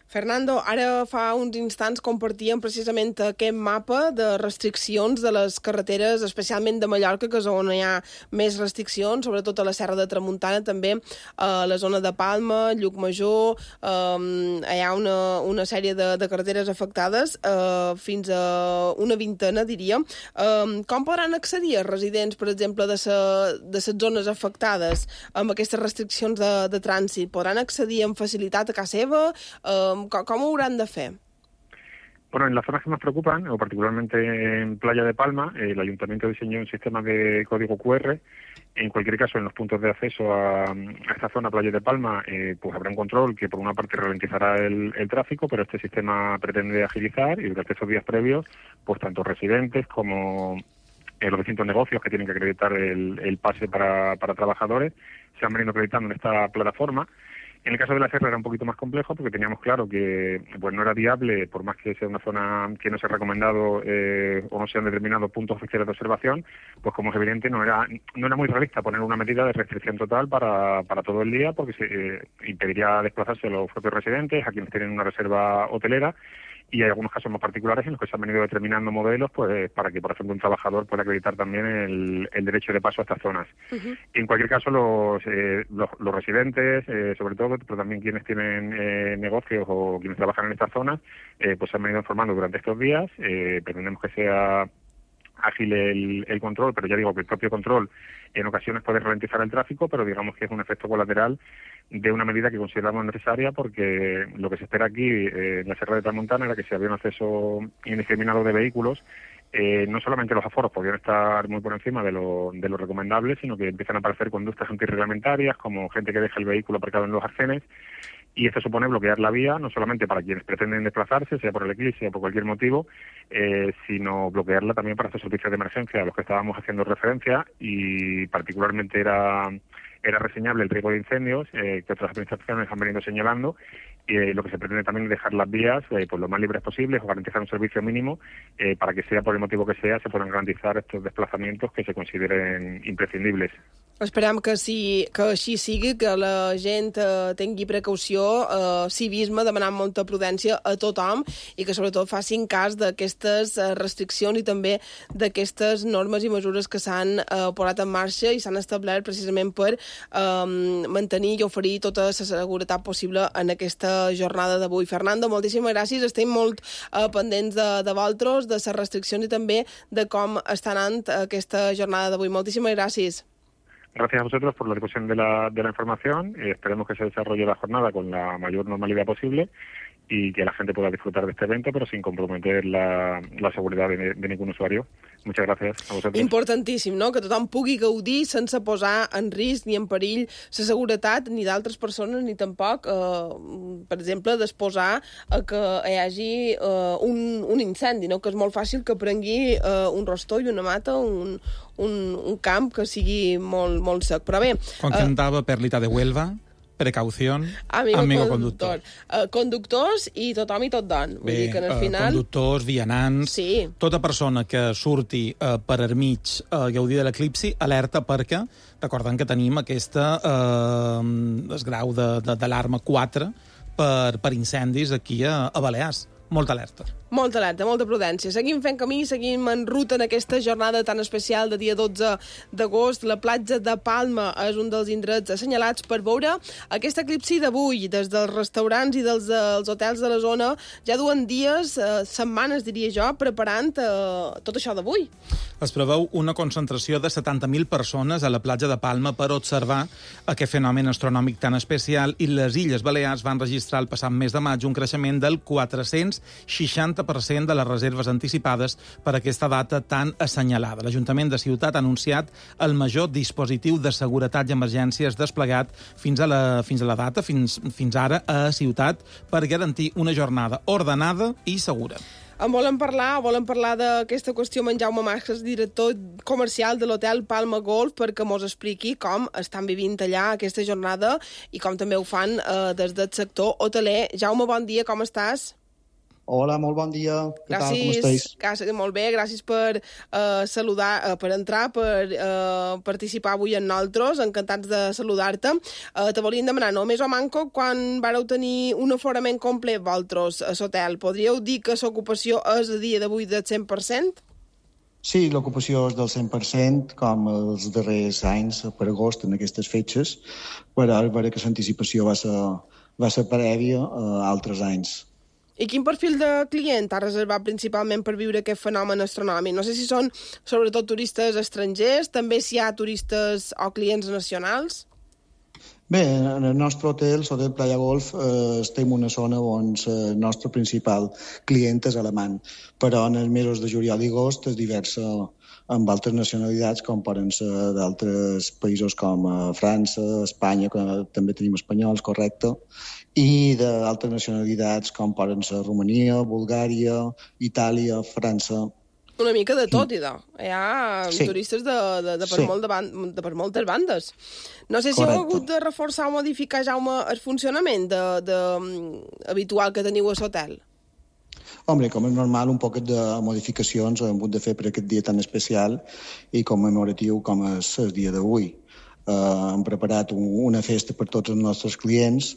Speaker 6: Fernando, ara fa uns instants compartíem precisament aquest mapa de restriccions de les carreteres, especialment de Mallorca, que és on hi ha més restriccions, sobretot a la Serra de Tramuntana, també a la zona de Palma, Llucmajor, hi ha una sèrie de carreteres afectades, fins a una vintena, diríem. Com podran accedir els residents, per exemple, de les zones afectades amb aquestes restriccions de trànsit? Podran accedir amb facilitat a casa seva? ¿Cómo ho hauran de fer?
Speaker 17: Bueno, en las zonas que nos preocupan, o particularmente en Playa de Palma, el Ayuntamiento diseñó un sistema de código QR. En cualquier caso, en los puntos de acceso a esta zona, Playa de Palma, pues habrá un control que por una parte ralentizará el tráfico, pero este sistema pretende agilizar y durante estos días previos, pues tanto residentes como los distintos negocios que tienen que acreditar el pase para trabajadores se han venido acreditando en esta plataforma. En el caso de la Serra era un poquito más complejo porque teníamos claro que pues no era viable, por más que sea una zona que no se ha recomendado o no se han determinado puntos oficiales de observación, pues como es evidente no era muy realista poner una medida de restricción total para todo el día porque se impediría desplazarse a los propios residentes, a quienes tienen una reserva hotelera. Y hay algunos casos más particulares en los que se han venido determinando modelos pues para que, por ejemplo, un trabajador pueda acreditar también el derecho de paso a estas zonas. Uh-huh. En cualquier caso, los residentes, sobre todo, pero también quienes tienen negocios o quienes trabajan en estas zonas, pues se han venido informando durante estos días. Pretendemos que sea ágil el control, pero ya digo que el propio control en ocasiones puede ralentizar el tráfico, pero digamos que es un efecto colateral de una medida que consideramos necesaria porque lo que se espera aquí en la Serra de Tramuntana era que si había un acceso indiscriminado de vehículos, no solamente los aforos podrían estar muy por encima de lo recomendable, sino que empiezan a aparecer conductas antirreglamentarias, como gente que deja el vehículo aparcado en los arcenes, y esto supone bloquear la vía, no solamente para quienes pretenden desplazarse, sea por el eclipse, sea por cualquier motivo, sino bloquearla también para estos servicios de emergencia a los que estábamos haciendo referencia, y particularmente era reseñable el riesgo de incendios que otras administraciones han venido señalando, y lo que se pretende también es dejar las vías pues lo más libres posibles o garantizar un servicio mínimo para que sea por el motivo que sea se puedan garantizar estos desplazamientos que se consideren imprescindibles.
Speaker 6: Esperem que així sigui, que la gent tingui precaució, civisme, demanant molta prudència a tothom i que sobretot facin cas d'aquestes restriccions i també d'aquestes normes i mesures que s'han posat en marxa i s'han establert precisament per mantenir i oferir tota la seguretat possible en aquesta jornada d'avui. Fernando, moltíssimes gràcies. Estem molt pendents de vosaltres, de les restriccions i també de com està anant aquesta jornada d'avui. Moltíssimes gràcies.
Speaker 17: Gracias a vosotros por la difusión de la información. Esperemos que se desarrolle la jornada con la mayor normalidad posible y que la gente pueda disfrutar de este evento, pero sin comprometer la seguridad de ningún usuario. Muchas gracias a vosotros.
Speaker 6: Importantíssim, no?, que tothom pugui gaudir sense posar en risc ni en perill la seguretat ni d'altres persones ni tampoc, per exemple, d'exposar que hi hagi un incendi, no?, que és molt fàcil que prengui un rostó i una mata, un camp que sigui molt sec. Però bé...
Speaker 7: Quan cantava Perlita de Huelva... Precaución, amigo conductor.
Speaker 6: Conductors i tothom i tot don. Vull dir que al final...
Speaker 7: Conductors, vianants... Sí. Tota persona que surti per enmig a gaudir de l'eclipsi, alerta perquè, recordem que tenim aquesta grau d'alarma 4 per incendis aquí a Balears. Molta alerta.
Speaker 6: Molta alerta, molta prudència. Seguim fent camí, seguim en ruta en aquesta jornada tan especial de dia 12 d'agost. La platja de Palma és un dels indrets assenyalats per veure aquest eclipsi d'avui. Des dels restaurants i dels hotels de la zona ja duen dies, setmanes, diria jo, preparant tot això d'avui.
Speaker 7: Es preveu una concentració de 70.000 persones a la platja de Palma per observar aquest fenomen astronòmic tan especial i les Illes Balears van registrar el passat mes de maig un creixement del 460% de les reserves anticipades per aquesta data tan assenyalada. L'Ajuntament de Ciutat ha anunciat el major dispositiu de seguretat i emergències desplegat fins a la data, fins ara a Ciutat, per garantir una jornada ordenada i segura.
Speaker 6: Volem parlar d'aquesta qüestió amb en Jaume Masques, director comercial de l'hotel Palma Golf, perquè mos expliqui com estan vivint allà aquesta jornada i com també ho fan des del sector hoteler. Jaume, bon dia, com estàs?
Speaker 18: Hola, molt bon dia. Què tal, com estàs?
Speaker 6: Gràcies, molt bé, gràcies per saludar, per entrar, per participar avui amb nosaltres, encantats de saludar-te. Te volíem demanar, només o manco, quan vareu tenir un aforament complet vosaltres a l'hotel, podríeu dir que l'ocupació és a dia d'avui del 100%?
Speaker 18: Sí, l'ocupació és del 100%, com els darrers anys, per agost, en aquestes fetges, però és vera que l'anticipació va ser prèvia a altres anys.
Speaker 6: I quin perfil de client ha reservat principalment per viure aquest fenomen astronòmic? No sé si són sobretot turistes estrangers, també si hi ha turistes o clients nacionals?
Speaker 18: Bé, en el nostre hotel, l'Hotel Playa Golf, estem en una zona on el nostre principal client és alemany, però en els mesos de juliol i agost és diversa amb altres nacionalitats, com poden ser d'altres països com França, Espanya, que també tenim espanyols, correcte, i d'altres nacionalitats com poden ser Romania, Bulgària, Itàlia, França.
Speaker 6: Una mica de tot, idò. Hi ha turistes per moltes bandes. No sé si heu hagut de reforçar o modificar, Jaume, el funcionament habitual que teniu a l'hotel.
Speaker 18: Home, com és normal, un poquet de modificacions hem hagut de fer per aquest dia tan especial i commemoratiu com és el dia d'avui. Hem preparat una festa per tots els nostres clients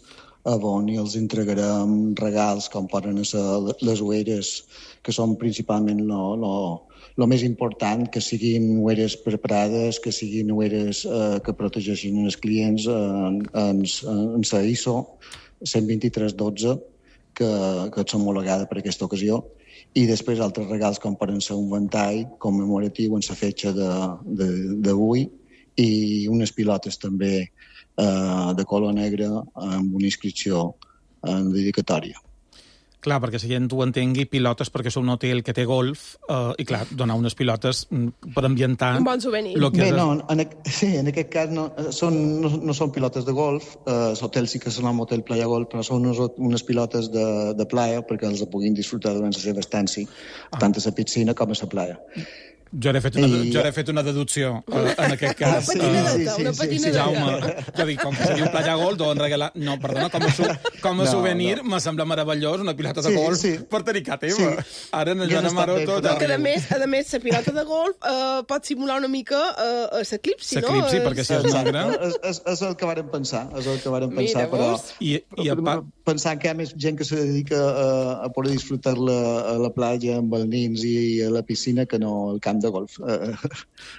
Speaker 18: on els entregarem regals com poden ser les ulleres, que són principalment el més important, que siguin ulleres preparades, que siguin ulleres que protegeixin els clients en la ISO 12312, que és homologada per aquesta ocasió, i després altres regals com poden ser un ventall commemoratiu en la fetge d'avui i unes pilotes també de color negre amb una inscripció en dedicatòria.
Speaker 7: Clar, perquè si gent ho entengui, pilotes perquè és un hotel que té golf i, clar, donar unes pilotes per ambientar...
Speaker 6: Un bon souvenir.
Speaker 18: Bé, no, en aquest cas no són pilotes de golf, l'hotel sí que és un hotel Playa Golf, però són unes pilotes de playa perquè els puguin disfrutar durant la seva estància, tant a la piscina com a la playa.
Speaker 7: Jo he fet una deducció, en aquest cas.
Speaker 6: Una patinadeta.
Speaker 7: Jaume, jo dic, com que se diu Playa Golf, deuen regalar... No, perdona, com a souvenir me sembla meravellós una pilota de golf per dedicar teva. Ara en el Joan Amaro tot...
Speaker 6: Que a més, la pilota de golf pot simular una mica l'eclipsi, no?
Speaker 7: L'eclipsi, perquè si és negre...
Speaker 18: És el que vàrem pensar, però... Pensant que hi ha més gent que se dedica a poder disfrutar a la platja amb els nins i a la piscina que no al camp de golf.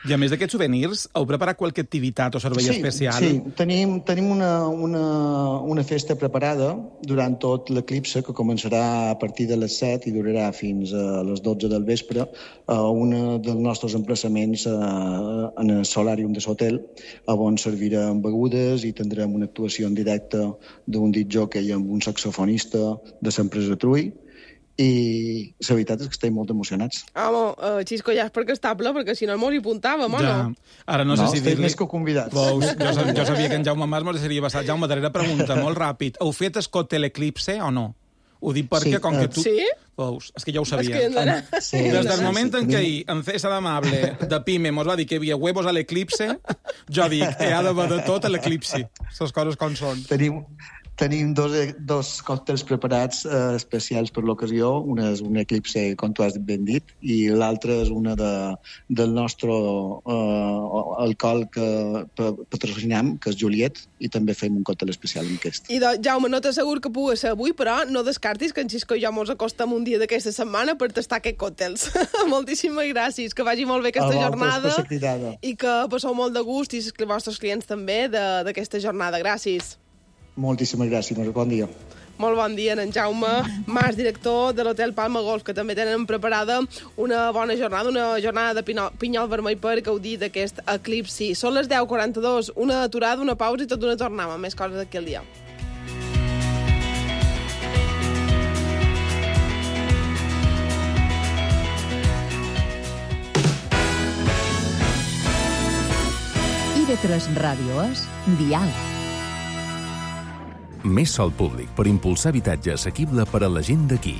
Speaker 7: I a més d'aquests souvenirs, heu preparat qualque activitat o servei especial?
Speaker 18: Sí, tenim una festa preparada durant tot l'eclipse, que començarà a partir de les 7 i durarà fins a les 12 del vespre, a un dels nostres emplaçaments en el solàrium de l'hotel, on servirem begudes i tindrem una actuació en directe d'un discjòquei amb un saxofonista de l'empresa Trui, i la veritat és que estem molt emocionats.
Speaker 6: Home, Xisco, ja és perquè està ple, perquè si no mos hi apuntàvem, o no?
Speaker 7: Ara no sé si dir-li...
Speaker 18: més que convidats.
Speaker 7: Jo sabia que en Jaume Mas m'ho seria basat. Jaume, darrera pregunta, molt ràpid. Heu fet el còctel Eclipse o no? Ho dic perquè, com que tu...
Speaker 6: Sí?
Speaker 7: Veus, és que ja ho sabia. Des del moment en què en César Amable de Pime mos va dir que hi havia huevos a l'Eclipse, jo dic, hi ha d'haver de tot a l'Eclipse. Les coses com són.
Speaker 18: Tenim dos còctels preparats especials per l'ocasió. Una és un Eclipse, com tu has ben dit, i l'altra és una del nostre alcohol que patrocinem, que és Juliet, i també fem un còctel especial amb aquest.
Speaker 6: I Jaume, no t'assegur que pugui ser avui, però no descartis que en Xisco i jo mos acostem un dia d'aquesta setmana per tastar aquests còctels. Moltíssimes gràcies, que vagi molt bé aquesta jornada i que passeu molt de gust i els vostres clients també d'aquesta jornada. Gràcies.
Speaker 18: Moltíssimes gràcies, bon dia.
Speaker 6: Molt bon dia, en Jaume Mas, director de l'Hotel Palma Golf, que també tenen preparada una bona jornada, una jornada de pinyol vermell per gaudir d'aquest eclipsi. Són les 10:42, una aturada, una pausa i tot una tornada, més coses d'aquí al dia.
Speaker 10: IB3 Ràdio és Dial.
Speaker 19: Més sòl públic per impulsar habitatge assequible per a la gent d'aquí.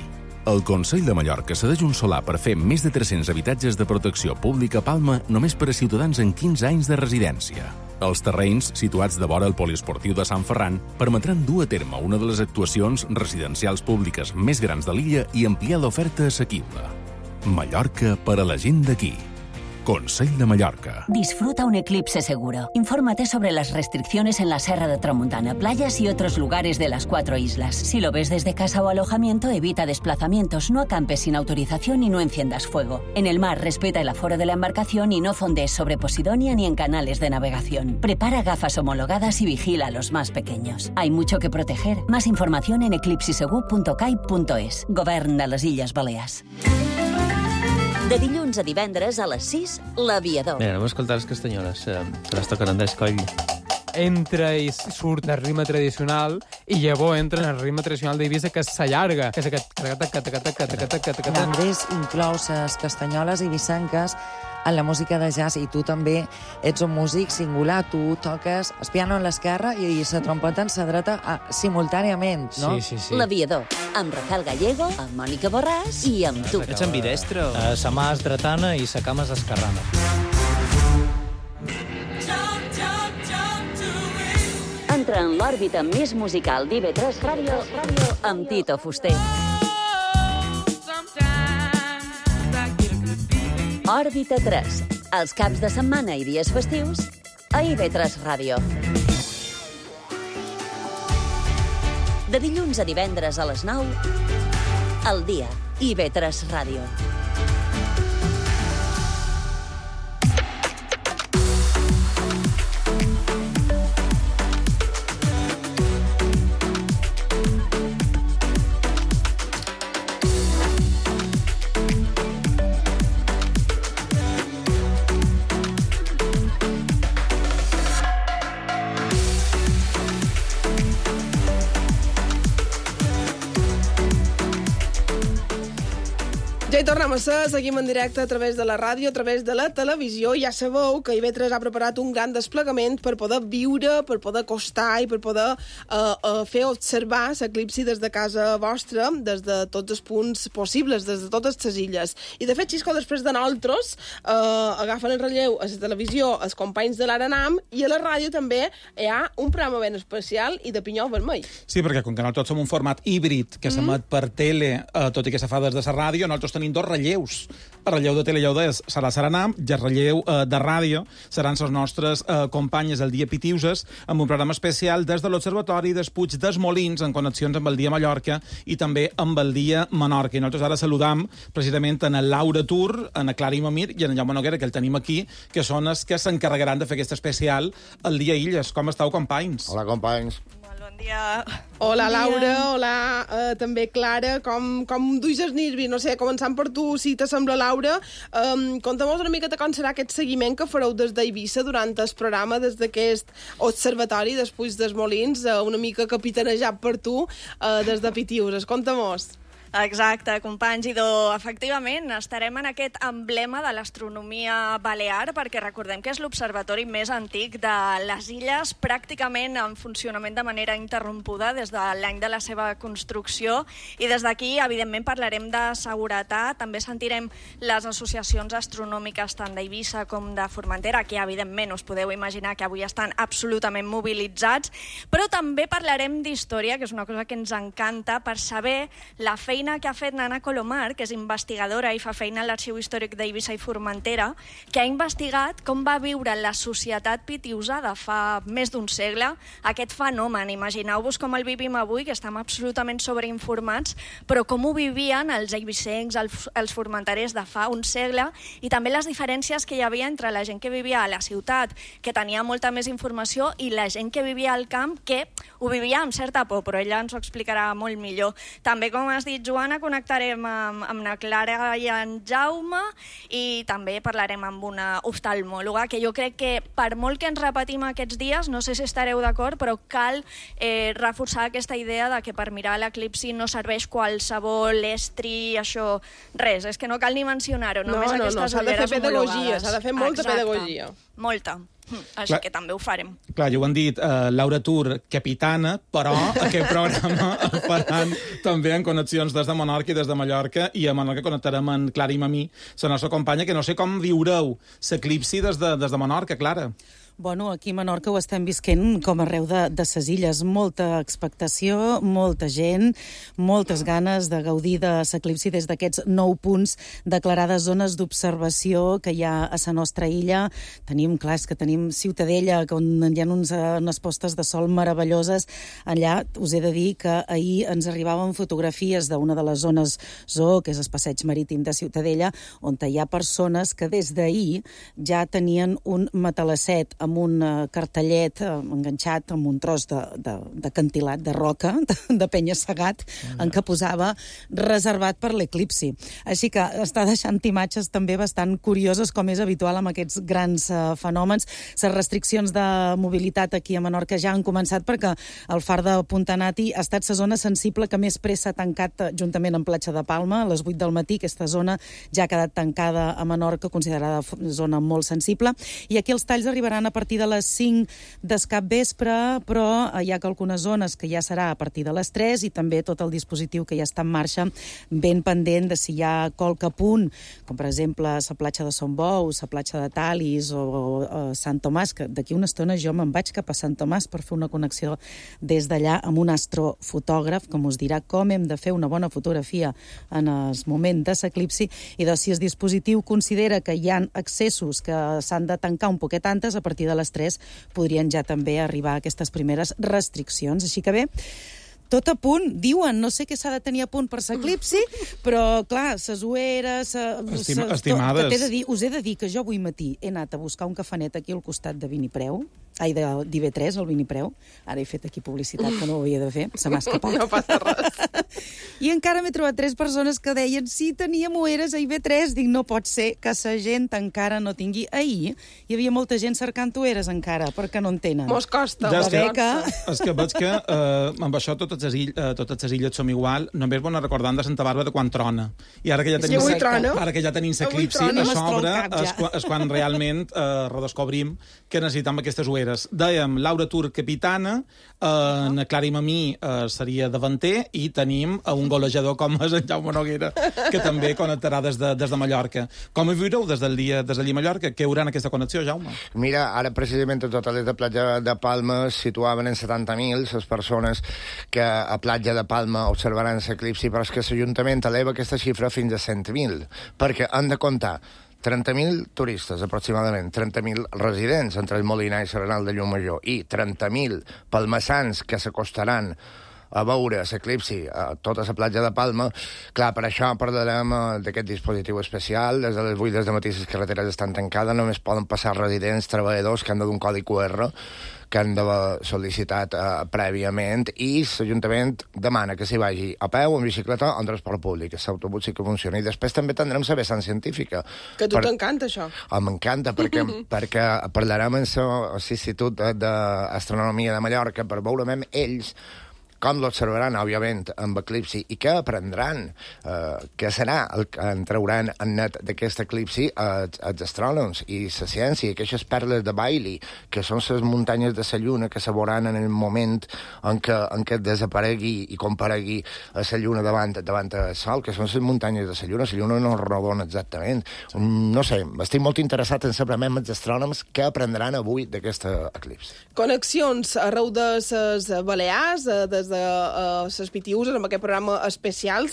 Speaker 19: El Consell de Mallorca cedeix un solar per fer més de 300 habitatges de protecció pública a Palma només per a ciutadans en 15 anys de residència. Els terrenys, situats de vora el poliesportiu de Sant Ferran, permetran dur a terme una de les actuacions residencials públiques més grans de l'illa i ampliar l'oferta assequible. Mallorca per a la gent d'aquí. Consell de Mallorca.
Speaker 5: Disfruta un eclipse seguro. Infórmate sobre las restricciones en la Serra de Tramuntana, playas y otros lugares de las 4 islas. Si lo ves desde casa o alojamiento, evita desplazamientos, no acampes sin autorización y no enciendas fuego. En el mar, respeta el aforo de la embarcación y no fondees sobre Posidonia ni en canales de navegación. Prepara gafas homologadas y vigila a los más pequeños. Hay mucho que proteger. Más información en eclipsisegur.cai.es. Govern de les Illes Balears. De dilluns a divendres a les 6, l'Aviador.
Speaker 13: Mira, anem a escoltar les castanyoles, que les toquen Andrés Coll.
Speaker 20: Entra i surt del ritme tradicional i llavors entra en el ritme tradicional d'Eivissa, que s'allarga, que és aquest...
Speaker 21: Andrés inclou les castanyoles eivissenques en la música de jazz, i tu també ets un músic singular. Tu toques el piano en l'esquerra i la trompeta en la dreta simultàniament, no?
Speaker 13: Sí.
Speaker 5: L'Aviador, amb Rafael Gallego, amb Mònica Borràs i amb tu.
Speaker 13: Ets ambidestre?
Speaker 22: Sa mà és dretana i sa cama és esquerrana.
Speaker 5: Entra en l'òrbita més musical d'IV3 Ràdio amb Tito Fuster. Òrbita 3, els caps de setmana i dies festius a IV3 Ràdio. De dilluns a divendres a les 9, al dia, IV3 Ràdio.
Speaker 6: Ja hi tornem a ser, seguim en directe a través de la ràdio, a través de la televisió. Ja sabeu que IV3 ha preparat un gran desplegament per poder viure, per poder acostar i per poder fer observar l'eclipsi des de casa vostra, des de tots els punts possibles, des de totes les illes. I de fet, Xisco, després de nosaltres, agafen el relleu a la televisió els companys de l'Aranam, i a la ràdio també hi ha un programa ben especial i de pinyó vermell.
Speaker 7: Sí, perquè com que nosaltres som un format híbrid que s'emet per tele, tot i que se fa des de la ràdio, nosaltres tenim dos relleus. El relleu de tele serà l'Aranam i el relleu de ràdio seran les nostres companyes el dia Pitiuses, amb un programa especial des de l'Observatori dels Puig dels Molins, en connexions amb el dia Mallorca i també amb el dia Menorca. I nosaltres ara saludam precisament en el Laura Tur, en el Clara Imamir i en el Jaume Noguera, que el tenim aquí, que són els que s'encarregaran de fer aquest especial el dia Illes. Com esteu, companys?
Speaker 23: Hola, companys.
Speaker 6: Dia. Hola, Laura, hola, també Clara, com duis els nervis? No sé, començant per tu, si t'assembla, Laura, conta'm-nos una miqueta com serà aquest seguiment que fareu des d'Eivissa durant el programa, des d'aquest observatori dels Puig dels Molins, una mica capitanejat per tu, des de Pitiuses. Conta'm-nos.
Speaker 24: Exacte, companys, i efectivament estarem en aquest emblema de l'astronomia balear, perquè recordem que és l'observatori més antic de les illes, pràcticament en funcionament de manera interrompuda des de l'any de la seva construcció, i des d'aquí, evidentment, parlarem de seguretat, també sentirem les associacions astronòmiques tant d'Eivissa com de Formentera, que evidentment us podeu imaginar que avui estan absolutament mobilitzats, però també parlarem d'història, que és una cosa que ens encanta, per saber la feina que ha fet Nana Colomar, que és investigadora i fa feina a l'Arxiu Històric d'Eivissa i Formentera, que ha investigat com va viure la societat pitiusa de fa més d'un segle aquest fenomen. Imagineu-vos com el vivim avui, que estem absolutament sobreinformats, però com ho vivien els eivissencs, els formenterers de fa un segle, i també les diferències que hi havia entre la gent que vivia a la ciutat, que tenia molta més informació, i la gent que vivia al camp, que ho vivia amb certa por, però ella ens ho explicarà molt millor. També, com has dit, Joana, connectarem amb la Clara i en Jaume, i també parlarem amb una oftalmòloga, que jo crec que per molt que ens repetim aquests dies, no sé si estareu d'acord, però cal reforçar aquesta idea de que per mirar l'eclipsi no serveix qualsevol estri, això, res, és que no cal ni mencionar-ho, només aquestes ulleres homologades.
Speaker 6: S'ha de fer molta pedagogia.
Speaker 24: Molta. Així que també ho farem.
Speaker 7: Clar, ja ho han dit, Laura Tur, capitana, però aquest programa el faran també en connexions des de Menorca i des de Mallorca, i a Menorca connectarem amb Clara Imamí, la nostra companya, que no sé com viureu l'eclipsi des de Menorca, Clara.
Speaker 8: Bueno, aquí a Menorca ho estem visquent com arreu de ses illes. Molta expectació, molta gent, moltes ganes de gaudir de l'eclipsi des d'aquests 9 punts declarades zones d'observació que hi ha a la nostra illa. Tenim, clar, és que tenim Ciutadella, on hi ha unes postes de sol meravelloses. Allà us he de dir que ahir ens arribaven fotografies d'una de les zones zoo, que és el passeig marítim de Ciutadella, on hi ha persones que des d'ahir ja tenien un matalasset amb un cartellet enganxat amb un tros de cantilat, de roca, de penya-segat, en què posava reservat per l'eclipsi. Així que està deixant imatges també bastant curioses, com és habitual amb aquests grans fenòmens. Les restriccions de mobilitat aquí a Menorca ja han començat perquè el far de Puntanati ha estat la zona sensible que més pressa ha tancat juntament amb Platja de Palma. A les 8 del matí aquesta zona ja ha quedat tancada a Menorca, considerada zona molt sensible. I aquí els talls arribaran a partir de les 5 del capvespre, però hi ha algunes zones que ja serà a partir de les 3 i també tot el dispositiu que ja està en marxa ben pendent de si hi ha qualque punt, com per exemple la platja de Son Bou, la platja de Talis o Sant Tomàs, que d'aquí una estona jo me'n vaig cap a Sant Tomàs per fer una connexió des d'allà amb un astrofotògraf que us dirà com hem de fer una bona fotografia en el moment de l'eclipsi, i doncs si el dispositiu considera que hi ha accessos que s'han de tancar un poquet antes, a partir de les 3 podrien ja també arribar a aquestes primeres restriccions. Així que bé, tot a punt, diuen, no sé què s'ha de tenir a punt per l'eclipsi, però, clar, ses ueres...
Speaker 7: Estimades...
Speaker 8: Us he de dir que jo avui matí he anat a buscar un cafanet aquí al costat de Vinipreu, d'IV3, el Vinipreu. Ara he fet aquí publicitat que no ho havia de fer, se m'ha escapat.
Speaker 6: No passa res.
Speaker 8: I encara m'he trobat 3 persones que deien sí, teníem ueres a IB3. Dic, no pot ser que la gent encara no tingui. Ahir hi havia molta gent cercant ueres encara, perquè no en tenen.
Speaker 6: Mos costa.
Speaker 7: Ja és que veig que amb això totes les illes som igual. Només bona recordant de Santa Bàrbara quan trona. I ara que ja tenim l'eclipsi a sobre és quan realment redescobrim que necessitem aquestes ueres. Dèiem, Laura Tur, capitana, na Clara i Mamí seria davanter, i tenim un golejador com és en Jaume Noguera, que també connectarà des de Mallorca. Com ho viureu des del dia a Mallorca? Què haurà en aquesta connexió, Jaume?
Speaker 9: Mira, ara precisament a totes les platja de Palma es situaven en 70.000 les persones que a platja de Palma observaran l'eclipsi, però és que l'Ajuntament eleva aquesta xifra fins a 100.000, perquè han de comptar 30.000 turistes, aproximadament, 30.000 residents entre el Molinar i Serenal de Llumajor, i 30.000 palmassans que s'acostaran a veure l'eclipsi a tota la platja de Palma. Clar, per això parlarem d'aquest dispositiu especial. Des de les 8 del matí les carreteres estan tancades, només poden passar residents, treballadors que han de d'un codi QR que han d'haver sol·licitat prèviament, i l'Ajuntament demana que s'hi vagi a peu, en bicicleta o en transport públic. L'autobús sí que funciona. I després també tindrem la vessant científica.
Speaker 6: Que a tu t'encanta, això.
Speaker 9: M'encanta, perquè parlarem amb l'Institut d'Astronomia de Mallorca per veure amb ells com l'observaran, òbviament, amb eclipsi, i què aprendran, què serà el que en trauran en net d'aquest eclipsi els astrònoms i la ciència, aquestes perles de Bailey, que són les muntanyes de la Lluna que se veuran en el moment en què desaparegui i comparegui la Lluna davant del Sol, que són les muntanyes de la Lluna no és rodona exactament. No sé, estic molt interessat en saber amb els astrònoms què aprendran avui d'aquest eclipsi.
Speaker 6: Connexions arreu de les Balears, des de les Pitiuses, amb aquest programa especial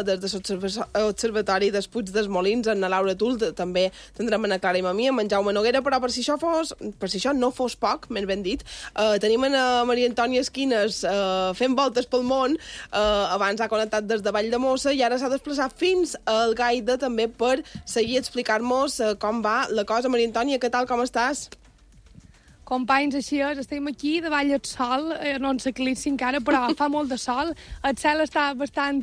Speaker 6: des de l'Observatori dels Puig dels Molins, en la Laura Tul, també tindrem en la Clara i Mamí, amb en Jaume Noguera, però per si això no fos poc, més ben dit, tenim en Maria Antònia Esquines fent voltes pel món, abans ha connectat des de Valldemossa i ara s'ha desplaçat fins al Gaida també per seguir explicar-nos com va la cosa. Maria Antònia, què tal, com estàs?
Speaker 11: Companys, així és, estem aquí davall del sol, no en l'eclipsi encara, però fa molt de sol, el cel està bastant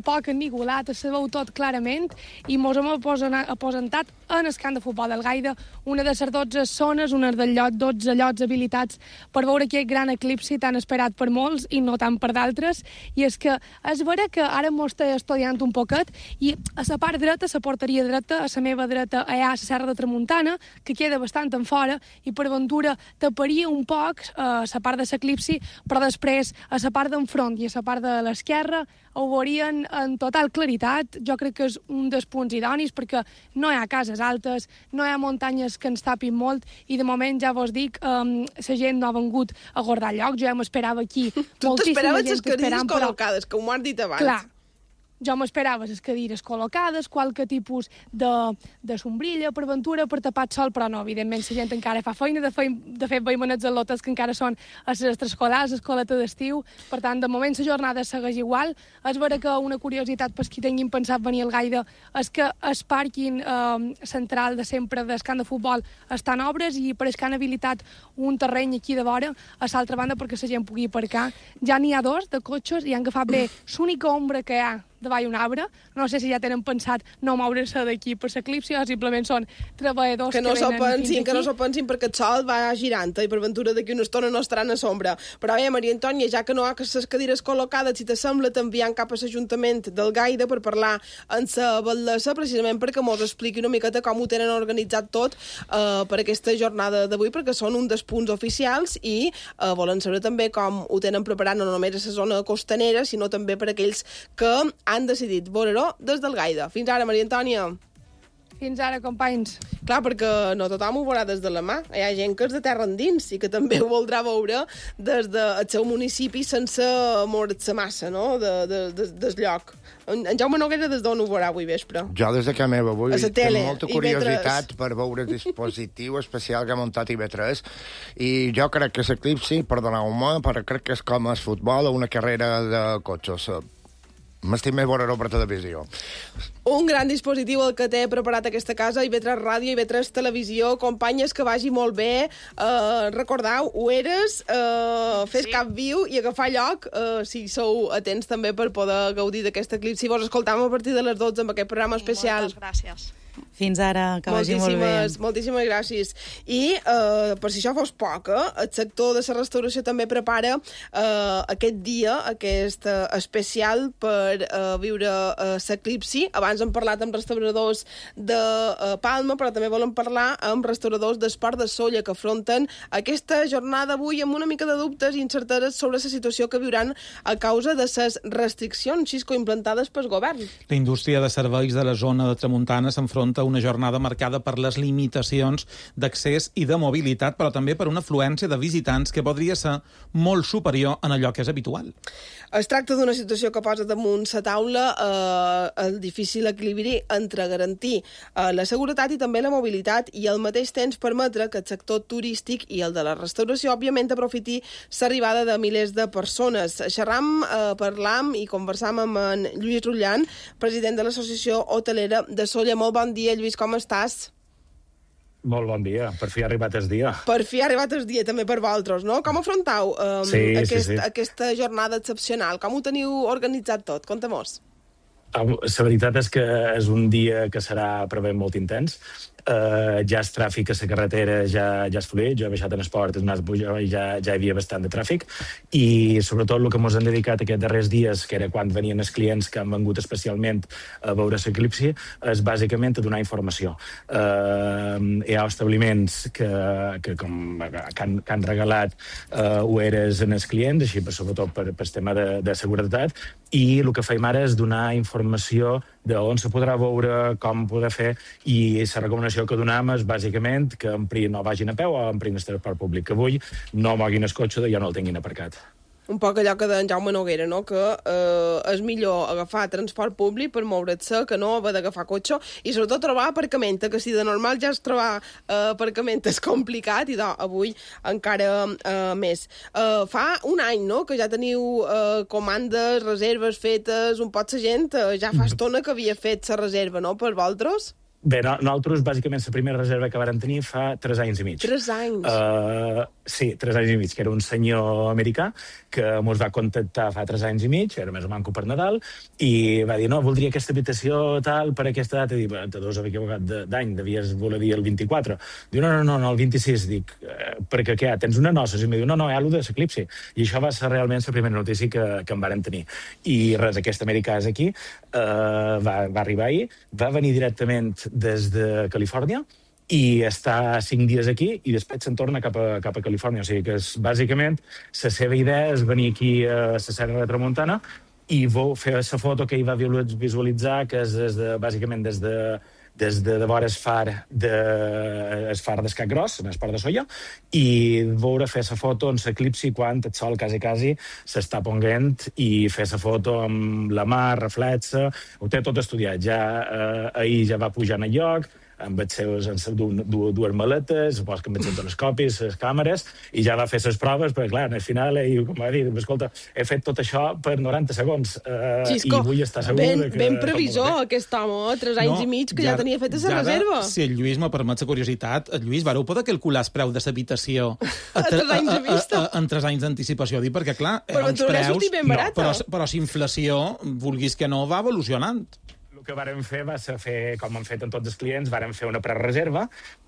Speaker 11: poc ennigolat, se veu tot clarament, i mos hem aposentat en el camp de futbol del Gaida, una de les 12 zones, una dels 12 llocs habilitats per veure aquest gran eclipsi tan esperat per molts i no tant per d'altres, i és que és vera que ara m'ho estic estudiant un poquet, i a la part dreta, a la porteria dreta, a la meva dreta, hi ha la Serra de Tramuntana, que queda bastant en fora, i per per aventura taparia un poc la part de l'eclipsi, però després a la part d'enfront i a la part de l'esquerra ho veurien en total claritat. Jo crec que és un dels punts idonis perquè no hi ha cases altes, no hi ha muntanyes que ens tapin molt i de moment ja vos dic, la gent no ha vengut a guardar lloc. Jo ja m'esperava aquí
Speaker 6: tu t'esperaves les cadires
Speaker 11: però...
Speaker 6: col·locades, com ho has dit abans.
Speaker 11: Clar, jo m'esperava les cadires col·locades, qualque tipus de sombrilla per aventura, per tapar el sol, però no, evidentment la gent encara fa feina, de fet veiem els al·lotes que encara són a les extraescolars, a l'escoleta d'estiu, per tant, de moment la jornada segueix igual. És vera que una curiositat per qui tinguin pensat venir al Gaida és que el pàrquing central de sempre del camp de futbol està en obres i pareix que han habilitat un terreny aquí de vora, a l'altra banda perquè la gent pugui aparcar. Ja n'hi ha 2 de cotxes i han agafat bé l'única ombra que hi ha davall un arbre. No sé si ja tenen pensat no moure-se d'aquí per l'eclipsi o simplement són treballadors que
Speaker 6: no
Speaker 11: venen fins aquí.
Speaker 6: Que no s'ho pensin perquè el sol va girant i per ventura d'aquí una estona no estaran a sombra. Però bé, Maria Antònia, ja que no hi ha les cadires col·locades, si t'assembla, t'enviem cap a l'Ajuntament del Gaida per parlar amb la batllessa, precisament perquè mos expliqui una miqueta com ho tenen organitzat tot per aquesta jornada d'avui, perquè són un dels punts oficials i volen saber també com ho tenen preparat no només a la zona costanera, sinó també per aquells que han decidit veure-ho des del Gaida. Fins ara, Maria Antònia.
Speaker 11: Fins ara, companys.
Speaker 6: Clar, perquè no tothom ho veurà des de la mà. Hi ha gent que és de terra endins i que també ho voldrà veure des del seu municipi sense moure's massa, no?, del lloc. En Jaume Noguera des d'on ho veurà avui vespre?
Speaker 9: Jo des de casa meva avui tinc molta curiositat
Speaker 6: IB3.
Speaker 9: Per veure el dispositiu especial que ha muntat IB3 i jo crec que l'eclipsi, perdoneu-me, però crec que és com el futbol o una carrera de cotxes. M'estic més veure-ho per televisió.
Speaker 6: Un gran dispositiu el que té preparat aquesta casa, IB3 Ràdio, IB3 Televisió. Companyes, que vagi molt bé. Recordeu, ho eres, fes cap viu i agafar lloc, si sou atents també per poder gaudir d'aquest eclipsi. Vos escoltam a partir de les 12 amb aquest programa especial.
Speaker 24: Moltes gràcies.
Speaker 8: Fins ara, que vagi molt bé.
Speaker 6: Moltíssimes gràcies. I, per si això fos poc, el sector de la restauració també prepara aquest dia, aquest especial per viure l'eclipsi. Abans hem parlat amb restauradors de Palma, però també volem parlar amb restauradors d'Esport de Sóller, que afronten aquesta jornada avui amb una mica de dubtes i incerteses sobre la situació que viuran a causa de les restriccions, Xisco, implantades pel govern.
Speaker 7: La indústria de serveis de la zona de Tramuntana s'enfronta a una jornada marcada per les limitacions d'accés i de mobilitat, però també per una afluència de visitants que podria ser molt superior en allò que és habitual.
Speaker 6: Es tracta d'una situació que posa damunt la taula el difícil equilibri entre garantir la seguretat i també la mobilitat i al mateix temps permetre que el sector turístic i el de la restauració, òbviament, aprofiti l'arribada de milers de persones. Xerram, parlam i conversam amb en Lluís Rullan, president de l'Associació Hotelera de Sóller. Molt bon dia, Lluís, com estàs?
Speaker 2: Molt bon dia, per fi ha arribat el dia.
Speaker 6: Per fi ha arribat el dia, també per vosaltres, no? Com afrontau aquesta jornada excepcional? Com ho teniu organitzat tot? Conta-mos.
Speaker 2: La veritat és que és un dia que serà prevent molt intens. Ja el tràfic a la carretera ja és fluid. Jo he baixat en esport, ja hi havia bastant de tràfic, i sobretot el que ens hem dedicat aquests darrers dies, que era quan venien els clients que han vengut especialment a veure l'eclipsi, és bàsicament a donar informació. Hi ha establiments que han regalat ueres als clients, així sobretot per el tema de seguretat, i el que fem ara és donar informació d'on se podrà veure, com poder fer, i la recomanació que donem és bàsicament que no vagin a peu o emprin el transport públic, que avui no moguin el cotxe i ja no el tinguin aparcat.
Speaker 6: Un poc allò que deia en Jaume Noguera, no? Que és millor agafar transport públic per moure's que no haver d'agafar cotxe i sobretot trobar aparcament, que si de normal ja és trobar aparcament és complicat i avui encara més. Fa un any, no?, que ja teniu comandes, reserves fetes, un pot la gent ja fa estona que havia fet la reserva, no?, per vosaltres?
Speaker 2: Bé, nosaltres, bàsicament, la primera reserva que vàrem tenir fa 3 anys i mig.
Speaker 6: 3 anys?
Speaker 2: Sí, 3 anys i mig, que era un senyor americà que ens va contactar fa 3 anys i mig, era més o manco per Nadal, i va dir, no, voldria aquesta habitació tal per aquesta data. I dic, te deus haver equivocat d'any, devies voler dir el 24. Diu, no, el 26. Dic, perquè què, tens una noces? I em diu, no, hi ha allò de l'eclipsi. I això va ser realment la primera notícia que en vàrem tenir. I res, aquest americà és aquí, va arribar ahir, va venir directament des de Califòrnia, i està 5 dies aquí i després se'n torna cap a Califòrnia. O sigui que bàsicament la seva idea és venir aquí a la Serra de Tramuntana i fer la foto que ell va visualitzar, que és bàsicament des de vora el far d'Escat Gros, en el port de Solla, i veure fer la foto en l'eclipsi quan el sol quasi s'està ponent i fer la foto amb la mar, reflexa. Ho té tot estudiat. Ahir ja va pujar en el lloc, amb les seves dues maletes, supos que amb els telescopis, les càmeres, i ja va fer les proves, perquè clar, al final ell, com va dir, escolta, he fet tot això per 90 segons,
Speaker 6: Xisco,
Speaker 2: i vull estar segur que...
Speaker 6: Ben previsor, aquest home, 3 anys i mig, que ja tenia feta la reserva.
Speaker 7: Si el Lluís me permet la curiositat, Lluís, vareu poder calcular el preu de l'habitació
Speaker 6: a 3 anys de vista?
Speaker 7: En 3 anys d'anticipació, perquè clar,
Speaker 6: però
Speaker 7: uns preus...
Speaker 6: Barata.
Speaker 7: Però si inflació, vulguis que no, va evolucionant.
Speaker 2: El que vàrem fer va ser com han fet amb tots els clients, vàrem fer una prereserva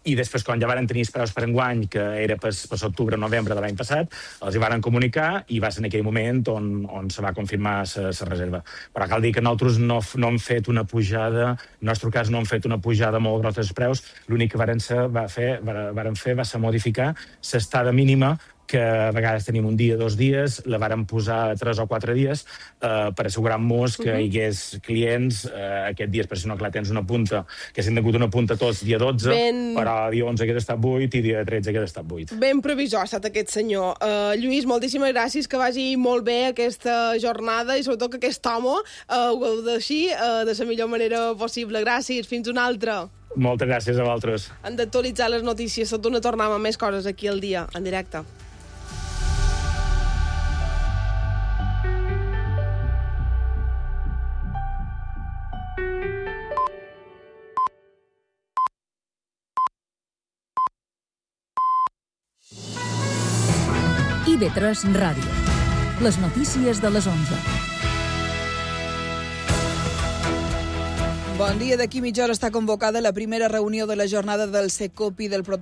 Speaker 2: i després, quan ja vàrem tenir els preus per enguany, que era per octubre o novembre de l'any passat, els hi vàrem comunicar i va ser en aquell moment on se va confirmar la reserva. Però cal dir que nosaltres no hem fet una pujada, en el nostre cas no hem fet una pujada molt grossa dels preus, l'únic que vàrem fer va ser modificar l'estada mínima, que a vegades tenim un dia, 2 dies, la vàrem posar 3 o 4 dies per assegurar-nos que hi hagués clients aquest dia, perquè si no, clar, tens una punta, que s'han tingut una punta tots dia 12, però dia 11 hagués estat 8 i dia 13 hagués estat 8.
Speaker 6: Ben previsor ha estat aquest senyor. Lluís, moltíssimes gràcies, que vagi molt bé aquesta jornada i sobretot que aquest home ho gaudeixi de la millor manera possible. Gràcies, fins una altra.
Speaker 2: Moltes gràcies a vosaltres.
Speaker 6: Han d'actualitzar les notícies, tot una tornada amb més coses aquí al dia, en directe.
Speaker 10: IB3 Ràdio. Les notícies de les 11.
Speaker 1: Bon dia. D'aquí mitja hora està convocada la primera reunió de la jornada del CECOP i del protocol